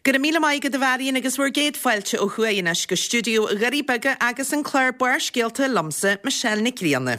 Go raibh míle maith agat a Mharion agus bhur gcéad fáilte ó thuaidh anois go stiúideo Dhoirí Beaga agus an clár Barrscéalta liomsa, Michelle Nic Grianna.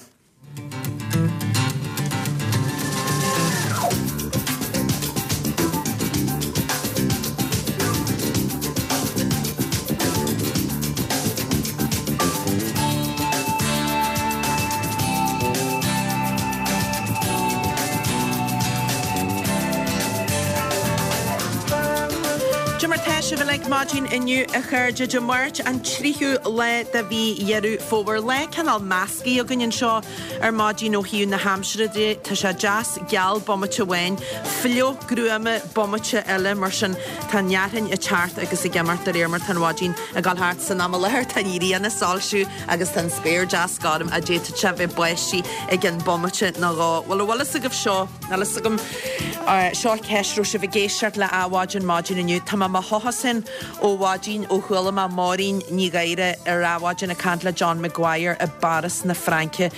Cad é mar tá sibh uilig maidin inniu a chairde Dé Máirt an 3ú lá de mhí Dheireadh Fómhair. Lá cineál measctha againn anseo ar maidin ó thaobh na haimsire de. Tá sé deas geal bomaite amháin, fliuch gruama bomaite eile mar sin tá an fhearthainn ag teacht agus ag imeacht de réir mar tá an mhaidin ag dul thart. San am i láthair tá an ghrian ag soilsiú agus tá an spéir deas gorm ach d'fhéadfadh sé bheith báistí i gcionn bomaite nó dhó. Bhuel, an bhfuil fhios agaibh seo, níl fhios agam, seo ceist, raibh sibh ag éisteacht le Adhmhaidin maidin inniu. Tá mé i mo thochas ó mhaidin ó chuala mé Máirín Ní Ghadhra ar Adhmhaidin ag caint le John Maguire i bPáras na Fraince,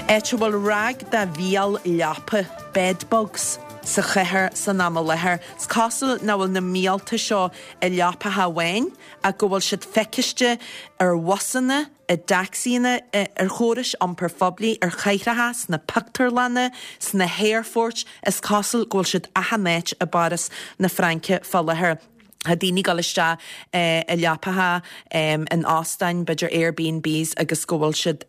áit a bhfuil ráig de mhíol leapa, bed bugs, sa chathair san am i láthair. Is cosúil nach bhfuil na míolta seo i leapacha amháin, ach go bhfuil siad feiciste ar bhusanna, i dtacsaíonna, ar chórais iompair phoiblí, ar chathracha, sna pictiúrlanna, sna haerfoirt, is cosúil go bhfuil siad achan áit i bPáras na Fraince fá láthair. Tá daoine ag dul isteach i leapacha in óstáin, b'fhéidir Airbnbs agus go bhfuil siad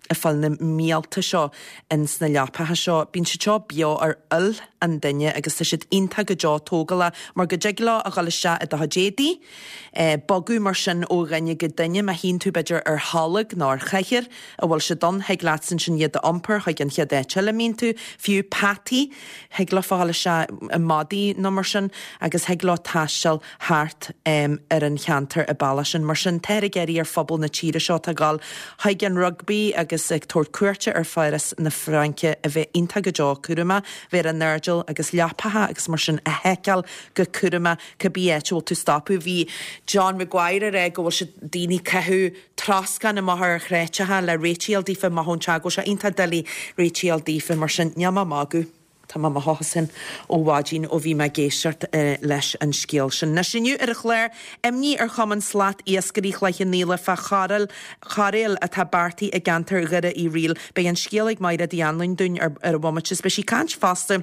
ag fáil na míolta seo ins na leapacha seo. Bíonn siad seo beo ar fhuil an duine agus tá siad iontach go deo tógálach mar go dtig leo a dhul isteach i do chuid éadaí, bogadh mar sin ó dhuine go duine. Má shuíonn tú b'fhéidir ar tholg nó ar chathaoir a bhfuil siad ann, thig leatsa ansin iad a iompar chuig an chéad áit eile a mbíonn tú. Fiú peataí, thig leofa a dhul isteach i madaí nó mar sin agus thig leo taisteal thart ar an cheantar an bealach sin. Mar sin, táthar ag iarraidh ar phobal na tíre seo atá ag dul chuig an rugbaí agus ag tabhairt cuairte ar Pháras na Fraince a bheith iontach go deo cúramach, bheith ar a n-airdeall agus leapacha agus mar sin a sheiceáil go cúramach cibé áit a bhfuil tú ag stopadh. Bhí John Maguire ag rá go bhfuil siad daoine ag caitheamh troscán amach ar chreatacha le réitigh a fháil daofa amach ón teach go bhfuil sé iontach doiligh réitigh a fháil daofa mar sin níl mé ag magadh. Tá mé i mo thochas féin ó mhaidin ó bhí mé ag éisteacht leis an scéal sin. Anois inniu ar an chlár, imní ar Chumann Slat Iascairí Chloich Cheann Fhaola fá chairéal, cairéal atá beartaithe i gceantar Dhoire Uí Fhrighil. Beidh an scéal ag Maighread Uí Anluain dúinn ar ar an bhomaite is beidh sí ag caint fosta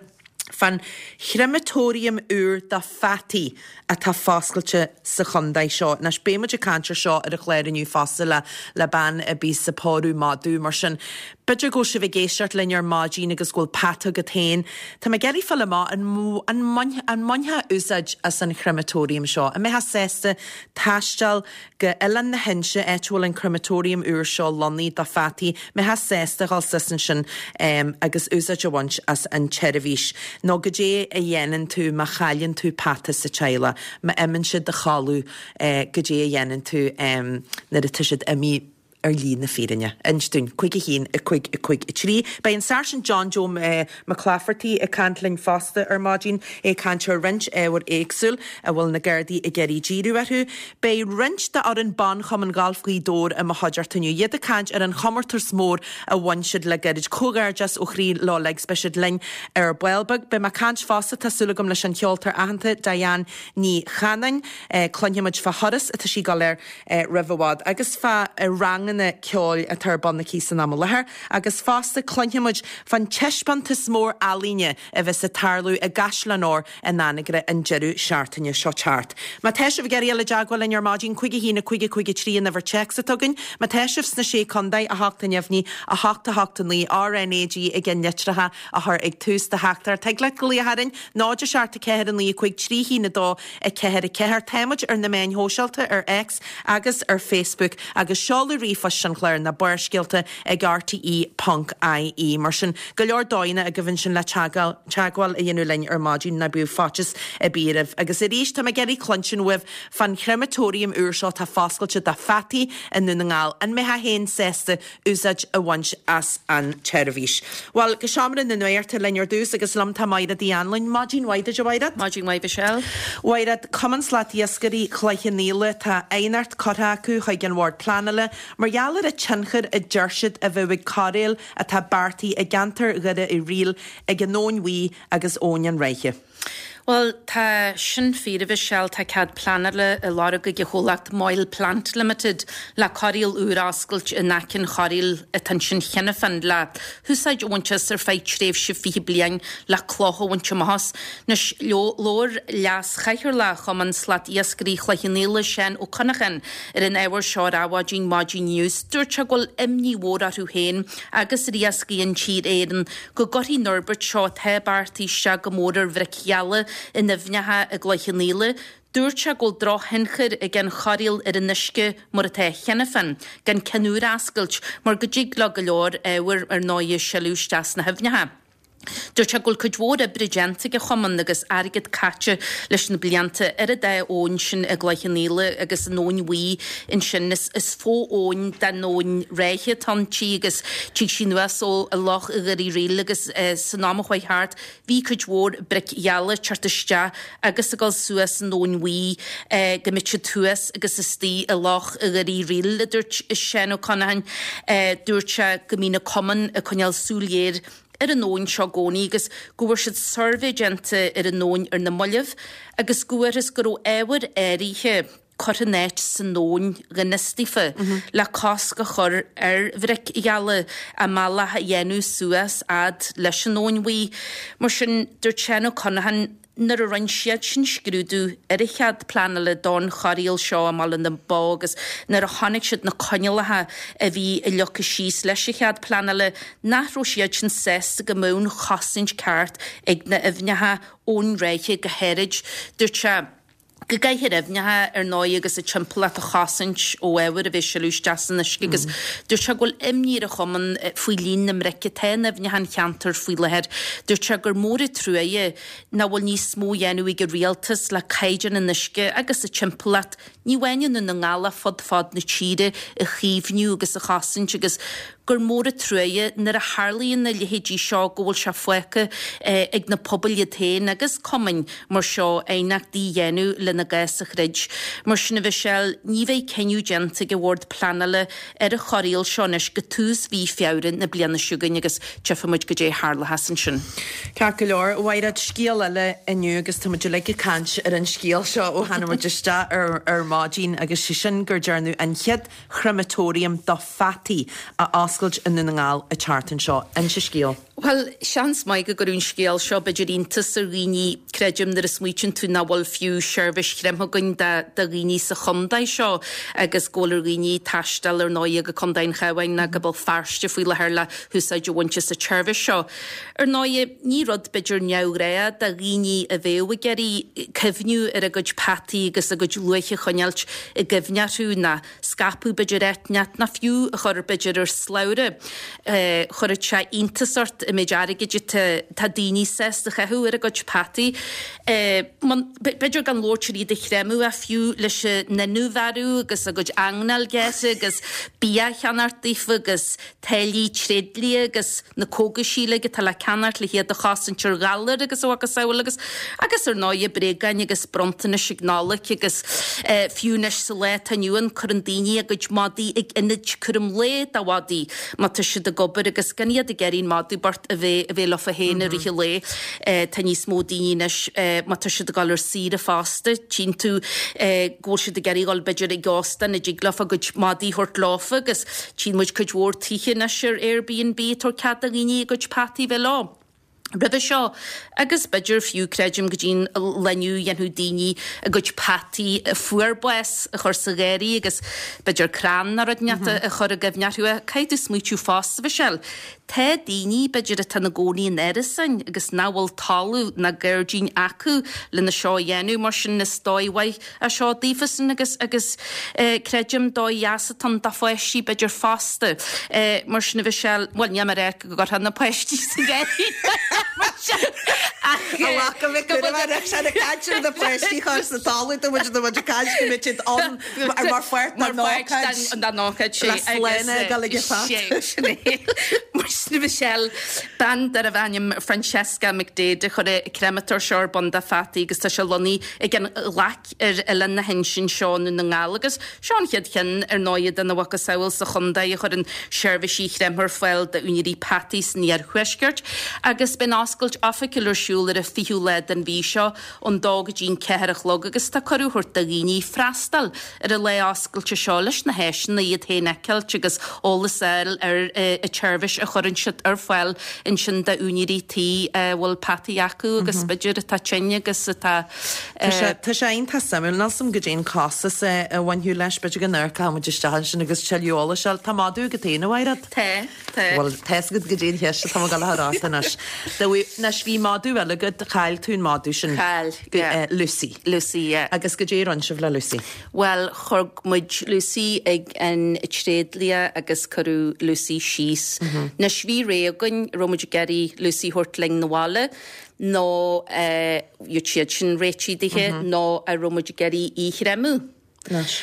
fán chreimeatóiriam úr do pheataí atá foscailte sa chontae seo. Anois, beidh muid ag caint ar seo ar an chlár inniu fosta le le bean a bíos ag pórú madadh, mar sin b'fhéidir go bhfuil sibh ag éisteacht linn ar maidin agus go bhfuil peata agat féin. Tá mé ag iarraidh fáil amach an an an mbainfeá úsáid as an chrematorium seo? An mbeifeá sásta taisteal go Oileán na hInse, áit a bhfuil an crematorium úr seo lonnaithe do pheataí, mbeifeá sásta dhul suas ansin agus úsáid a bhaint as an tseirbhís? Nó goidé a dhéanann tú má chailleann tú peata sa teaghlach, má imíonn siad a chodladh, goidé a dhéanann tú nuair atá siad imithe? ar shlí na fírinne. Inis dúinn. 5 1 5 5 3. Beidh an Sáirsint John Joe Mac Laifeartaigh ag caint linn fosta ar maidin, é ag caint ar roinnt ábhar éagsúil a bhfuil na Gardaí ag iarraidh díriú orthu. Beidh roinnt d'fhoireann ban Chumann Gailf Ghaoth Dobhair i mo chuideachta inniu. Iad ag caint ar an chomórtas mór a bhain siad le gairid. Comhghairdeas ó chroí leo uilig 's beidh siad linn ar ball beag. Beidh mé ag caint fosta, tá súil agam, leis an cheoltóir aitheanta Diane Ní Chanainn. Cluinfidh muid fá thuras atá sí ag dul air roimh i bhfad agus fá ranganna ceoil atá ar bun aici san am i láthair agus fosta cluinfidh muid fán taispeántas mór ealaíne a bheas ag tarlú i gCaisleán Óir in Anagaire an deireadh seachtaine seo thart. Má tá sibh ag iarraidh dul i dteagmháil linn ar maidin, 5 1 5 5 3 an uimhir téacs atá againn. Má tá sibh sna Sé Contae, 8 a neamhní, 8 8 9, RNAG i gceannlitreacha a chur ag tús do theachtaireacht. Thig leat glaoch orainn, 0 7 4 9 5 3 1 2 4 4. Táimid ar na meáin shóisialta, ar X agus ar Facebook, agus seoladh ríomhphoist an chláir ná Barrscéalta ag rte ponc ie. Mar sin, go leor dóigheanna agaibh ansin le teagmháil a dhéanamh linn ar maidin, ná bíodh faitíos ar bith oraibh. Agus arís, tá mé ag iarraidh cluinstin uaibh fán chrematorium úr seo atá foscailte do pheataí i nDún na nGall. An mbeifeá féin sásta úsáid a bhaint as an tseirbhís. Bhuel, go seomra na nuachta linn ar dtús agus liom tá Maighread Uí Anluain. Maidin mhaith duit, a Mhaighread. Maidin mhaith, Michelle. Mhaighread, Cumann Slat Iascairí Chloich Cheann Fhaola, tá aighneacht curtha acu chuig an Bhord Pleanála mar gheall ar an tionchar a deir siad a bheadh ag cairéal atá beartaithe i gceantar Dhoire Uí Fhrighil ag an Abhainn Bhuí agus Abhainn an Ráithe. Bhuel, tá sin fíor, a Mhichelle. Tá cead pleanála á lorg ag an chomhlacht Moyle Plant Limited le corraíl úr a oscailt in aice an chorraíl atá ansin cheana féin le húsáid a bhaint as ar feadh tréimhse 20 bliain le cloch a bhaint amach as. Anois, labhair Leas-Chathaoirleach Chumann Slat Iascairí Chloich Cheann Fhaola, Seán Ó Connacháin, ar an ábhar seo ar Adhmhaidin maidin inniu. Dúirt sé go bhfuil imní mhór orthu féin agus ar iascaigh intíre Éireann go gcuirfidh an fhorbairt seo atá beartaithe isteach go mór ar bhric gheala in aibhneacha i gCloich Cheann Fhaola. Dúirt sé go bhfuil drochthionchar ag an chorraíl ar an uisce mar atá cheana féin, gan ceann úr a oscailt, mar go dtig leo go leor ábhair ar ndóigh a sileadh isteach sna haibhneacha. Dúirt sé go bhfuil cuid mhór oibre déanta ag an chumann agus airgead caite leis na blianta ar an dá abhainn sin i gCloich Cheann Fhaola agus an Abhainn Bhuí ansin. Is fo-abhainn den Abhainn Ráithe atá inti agus tig sí anuas ó Loch Dhoire Ríl agus san am a chuaigh thart bhí cuid mhór bric gheala ag teacht isteach agus ag dul suas an Abhainn Bhuí go mbeadh siad thuas agus istigh i Loch Dhoire Ríl, a dúirt Seán Ó Conacháin. Dúirt sé go mbíonn an cumann ag coinneáil súil ghéar ar an abhainn seo i gcónaí agus go bhfuair siad suirbhé déanta ar an abhainn ar na mallaibh agus go bhfuarthas go raibh ábhair áirithe curtha in áit san abhainn gan fhios daofa le cosc a chur ar bhric gheala a mbealach a dhéanamh suas fhad leis an Abhainn Bhuí. Mar sin, dúirt Seán Ó Conacháin, Nuair a rinne siad sin scrúdú ar an chead pleanála don chorraíl seo i mBaile na Bó agus nuair a chonaic siad na coinníollacha a bhí leagtha síos leis an chead pleanála, nach raibh siad sin sásta go mbeadh an chosaint ceart ag na aibhneacha ón ráithe go háirid. Dúirt sé. go gcaithfear aibhneacha ar ndóigh agus a dtimpeallacht a chosaint ó ábhar a bheith ag sileadh isteach san uisce agus dúirt sé go bhfuil imní ar an chumann faoi líon na mbric atá in aibhneacha an cheantair faoi láthair. Dúirt sé gur mór an truaighe nach bhfuil níos mó á dhéanamh ag an rialtas le caighdeán an uisce agus a timpeallacht, ní amháin i nDún na nGall ach fud fad na tíre, a chaomhnú agus a chosaint agus gur mór an truaighe nuair a tharlaíonn a leithéidí seo go bhfuil sé fágtha ag na pobail iad féin agus cumainn mar seo aighneachtaí a dhéanamh lena gcás a throid. Mar sin a Mhichelle, ní bheidh cinneadh déanta ag an Bhord Pleanála ar an chorraíl seo anois go tús mhí Feabhra na bliana seo chugainn agus tchífidh muid goidé a tharlóchas ansin. Ceart go leor, a Mhaighread, scéal eile inniu agus tá muid uilig ag caint ar an scéal seo ó tháinig muid isteach ar maidin agus sé sin gur dearnadh an chéad creimeatóiriam do pheataí a oscailt i nDún na nGall an tseachtain seo. Inis an scéal. Bhuel, seans maith go gcuirfeadh an scéal seo b'fhéidir iontas ar dhaoine, creidim, nuair a smaoitíonn tú nach bhfuil fiú seirbhís chreimthe againn do dhaoine sa chontae seo agus go bhfuil ar dhaoine taisteal ar ndóigh go Contae an Chabháin nó go Béal Feirste faoi láthair le húsáid a bhaint as an tseirbhís seo. Ar ndóigh, ní rud b'fhéidir neamhghnách do dhaoine a bheadh ag iarraidh cuimhniú ar a gcuid peataí agus a gcuid luaithe a choinneáilt i gcuimhne orthu ná scaipeadh b'fhéidir áit inteacht ná fiú a chur b'fhéidir ar slabhra. Chuirfeadh sé iontas ort an méid airgid atá daoine sásta a chaitheamh ar a gcuid peataí. B'fhéidir gan labhairt ar iad a chreimeadh ach fiú leis an inúmharú agus a gcuid eangnáil gearrtha agus bia a cheannacht daofa agus táillí tréidlia agus na cógaisí uilig atá le ceannacht le hiad a chosaint ar ghalair agus a mhacasamhail agus, agus ar ndóighe, bréagáin agus bronntanais ag Nollaig agus fiú anois sa lá atá inniu ann cuireann daoine a gcuid madaí ag ionaid cúram lae do mhadaí má tá siad ag obair agus gan iad ag iarraidh an madadh bocht a bheith, a bheith leofa féin i rith an lae. Tá níos mó daoine anois má tá siad ag dul ar saoire fosta, tchíonn tú go bhfuil siad ag iarraidh dul b'fhéidir ag óstán a dtig leofa a gcuid madaí a thabhairt leofa agus Tchíonn muid cuid mhór tithe anois ar Airbnb ag tabhairt cead do dhaoine a gcuid peataí a bheith leo. Roimhe seo, agus b'fhéidir fiú, creidim, go dtí an lá inniu, dhéanfadh daoine a gcuid peataí a fuair bás a chur sa gharraí agus b'fhéidir crann nó rud inteacht a chur i gcuimhne orthu. Caithfidh tú smaoitiú fosta, a Mhichelle, tá daoine, b'fhéidir, atá ina gcónaí in árasáin agus nach bhfuil talamh ná gairdín acu lena seo a dhéanamh, mar sin is dóigh mhaith é seo daofasan agus agus creidim dóigh dheas atá ann do pháistí b'fhéidir fosta. Mar sin a Mhichelle, bhuel níl mé ag rá go gcuirfeá na páistí sa gharraí mar sin ach A mhac go mbeadh cúram air ach sin ag caint ar na páistí a chur sa talamh tá muid tá muid ag caint go mbeidh siad ann mar pháirt den ócáid. Den ócáid sé Le sláine ag dul ag an phat. Sin é. Mar sin a Mhichelle, bean darbh ainm Francesca McDaid a chuir an créamatóir seo ar bun do pheataí agus tá sé lonnaithe ag an ghlaic ar Oileán na hInse anseo i nDún na nGall agus seo an chéad cheann ar ndóighe dena mhacasamhail sa chontae a chuireann seirbhísí chreimthe ar fáil d'úinéirí peataí san iarthuaisceart agus beidh an oscailt oifigiúil ar siúl ar. ar an 20ú lá den mhí seo ón dó go dtí'n 4 a chlog agus tá cuireadh á thabhairt do dhaoine freastal ar an lá oscailte seo leis na háiseanna iad féin a fheiceáilt agus eolas a fháil ar an tseirbhís a chuireann siad ar fáil ansin d'úinéirí tí a bhfuil peataí acu agus b'fhéidir atá tinn agus atá Tá sé, tá sé iontach suimiúil. Níl 's a'm goidé an costas a bhainfeadh leis, b'fhéidir go n-amharcfadh muid isteach ansin agus tuilleadh eolais a fháil. Tá madadh agat féin, a Mhaighread? Tá, tá. Bhuel, tá 'fhios agat goidé an cheist atá mé ag dul a chur ort anois. Anois, bhí madadh eile agat, chaill tú an madadh sin. Chaill, yeah. Lucy. Lucy, yeah. Agus goidé a rinne sibh le Lucy? Bhuel, thug muid Lucy ag an tréidlia agus cuireadh Lucy síos. Anois, bhí rogha againn, raibh muid ag iarraidh Lucy a thabhairt linn 'na bhaile nó bheadh siad sin réitithe dithe nó an raibh muid ag iarraidh í a chreimeadh. Anois.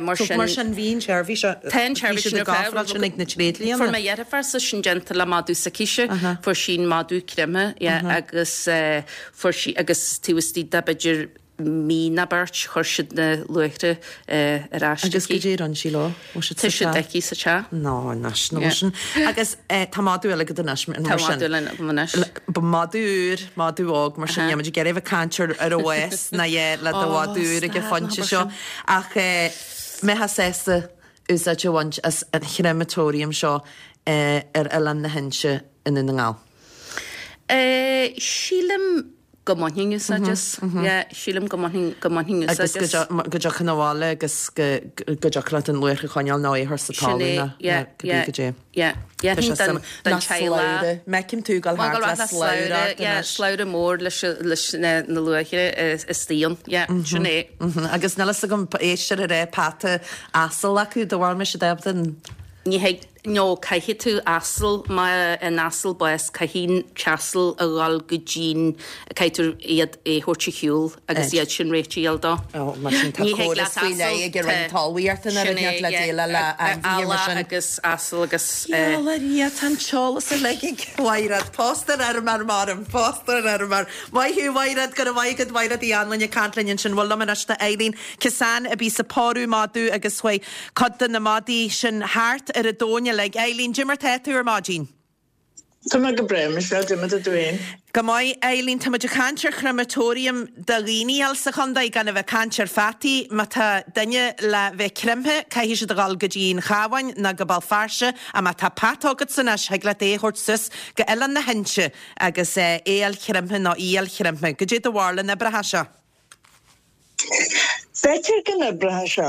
Mar sin. Mar sin bhí an tseirbhís seo. Tá an tseirbhís sin ar fáil. Bhí siad ag ofráil sin ag na tréidlianna. Fuair mo dheirfiúrsa sin déanta le madadh s'aicise. Fuair sí an madadh creimthe, yeah, agus fuair sí, agus taobh istigh de b'fhéidir mí nó beirt, chuir siad na luaithre ar ais aici. Agus goidé a rinne sí leo? Bhfuil siad sa teach? Tá siad aici sa teach. No, anois, nó sin. Agus tá madadh eile agat anois, mar sin. Tá madadh eile agam anois. Ba madadh úr, madadh óg, mar sin, níl muid ag iarraidh a bheith ag caint ar ar a bhás ná é le do mhadadh úr ag an phointe seo. Ach mbeifeá sásta úsáid a bhaint as an chrematorium seo ar Oileán na hInse i nDún na nGall? Sílim go mbainfinn úsáid as. Yeah, sílim go mbainfinn, go mbainfinn úsáid as. Agus go dtiocfainn abhaile agus go dtiocfadh leat an luaithre a choinneáil nó é a chur sa talamh nó cibé goidé. Yeah, yeah. Tá sé suimiúil. Ná slabhra. M'fheicim tú ag dul thart le slabhra ort anois. Yeah, slabhra mór leis leis na luaithre istigh ann. Yeah, sin é. Agus níl fhios agam, éisteoir a raibh peata asail acu, do bhfuil mise ábalta an. Ní thig. No, caithfidh tú asal, má an asal bás, caithfidh an t-asal a dhul go dtí'n, caithfidh tú iad a thabhairt ar shiúl agus iad sin réitithe a fháil dó. Ó, mar sin tá Ní thig córas leat faoi asal, leith ag an Roinn tá, Talmhaíochta nuair a sin é, bhíonn le yeah, déileáil le ainmhithe mar eallach sin. agus asal agus eh. Gheall ar Dhia, tá an t-eolas uilig ag Mhaighread. Póstar orm ar maram, póstar orm ar. Maith thú, Mhaighread, go raibh maith agat, Maighread Uí Anluain ag caint linn ansin. Bhuel liom anois tá Eileen Kissane a bíos ag pórú madadh agus chuaigh Cuid de na madaí sin thart ar an domhan uilig. Eileen, Goidé mar tá tú ar maidin? Tá mé go breá, Michelle, goidé mar tá tú fhéin? Go maith, Eileen. Tá muid ag caint ar chrematorium do dhaoine thall sa chontae, gan a bheith ag caint ar pheataí. Má tá duine le bheith creimthe, caithfidh siad a dhul go dtí an Chabhán nó go Béal Feirste, ach má tá peata agatsa anois, thig leat é a thabhairt suas go Oileán na hInse agus é a fháil creimthe nó í a fháil creimthe. Goidé do bharúil an oibreoidh seo? B'fhéidir go n-oibreoidh sé.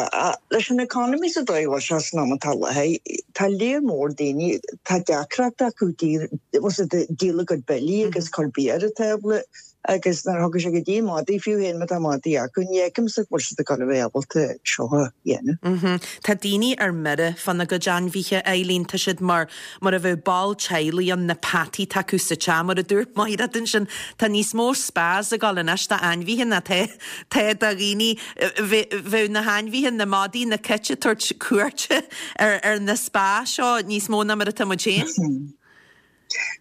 Leis an economy sa dóigh a bhfuil sé san am atá i láthair, tá léar mór daoine, tá deacracht acu díol a gcuid billí agus cur bia ar an tábla agus nuair a thiocfaidh sé go dtí madaí, fiú féin má tá madaí acu, ní fheicimse go bhfuil siad ag dul a bheith ábalta seo a dhéanamh. Tá daoine ar mire fána gcuid ainmhithe, Eileen, tá siad mar mar a bheadh ball teaghlaigh ann, na peataí atá acu sa teach. Mar a dúirt Maighread ansin, tá níos mó spas ag dul anois d'ainmhithe ná tá tá do dhaoine. Bheadh na hainmhithe, na madaí, na cait ag tabhairt cuairte ar ar na spa seo níos mó ná mar atá muid féin.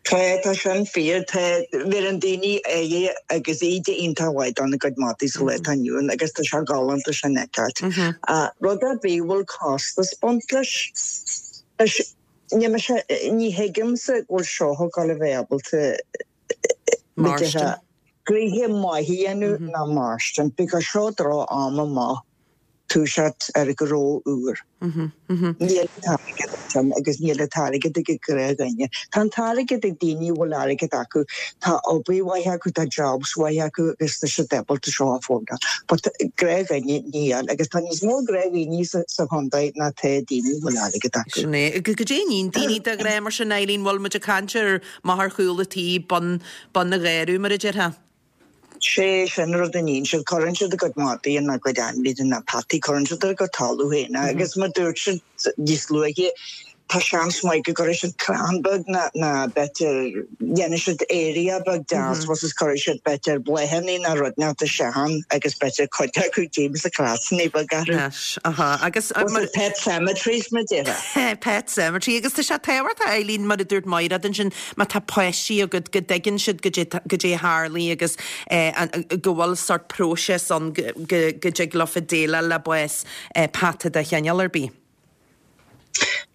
Tá, tá sin fíor. Tá, bheireann daoine aire agus íde iontach mhaith dona gcuid madaí sa lá atá inniu ann agus tá sé galánta sin a fheiceáilt. Rud ar bith a bhfuil costas ag baint leis, leis Ní mise, ní thuigimse go bhfuil seo ag dul a bheith ábalta Mairstin. gnoithe maith a dhéanamh ná mairstin because seo droch am amach toiseacht ar ghnó úr. Níl an t-airgead ansin agus níl an t-airgead ag an gnáthdhuine. Tá an t-airgead ag daoine a bhfuil airgead acu, tá obair mhaith acu, tá jobs mhaith acu agus tá siad ábalta seo a affordáil. But gnáthdhuine níl agus tá níos mó gnáthdhaoine sa chontae ná tá daoine a bhfuil airgead acu. Sin é. Goidé a níonn daoine de ghnáth mar sin, Eileen, bhfuil muid ag caint ar amach ar chúl an tí, bun, bun an gharraí, mar a déarfá? Sé sin rud a níonn siad, cuireann siad a gcuid madaí ina gcuid ainmhithe na peataí, cuireann siad ar a gcuid talamh féin é agus mar dúirt siad níos luaithe, tá seans maith go gcuirfidh siad crann beag ná ná b'fhéidir dhéanfaidh siad area beag deas mm -hmm. cuirfidh siad b'fhéidir bláthanna ná rud inteacht isteach ann agus b'fhéidir cuid acu James na crossanna beag orthu. Yes, aha. Agus mar pet cemeteries mar déarfá. Pet cemetery agus tá sé tábhachtach Eileen mar a dúirt Maighread ansin má tá páistí agat go dtuigeann siad goidé a tharlaigh agus go bhfuil sort próiseas ann go go dtig leofa déileáil le bás peata de chineál ar bith.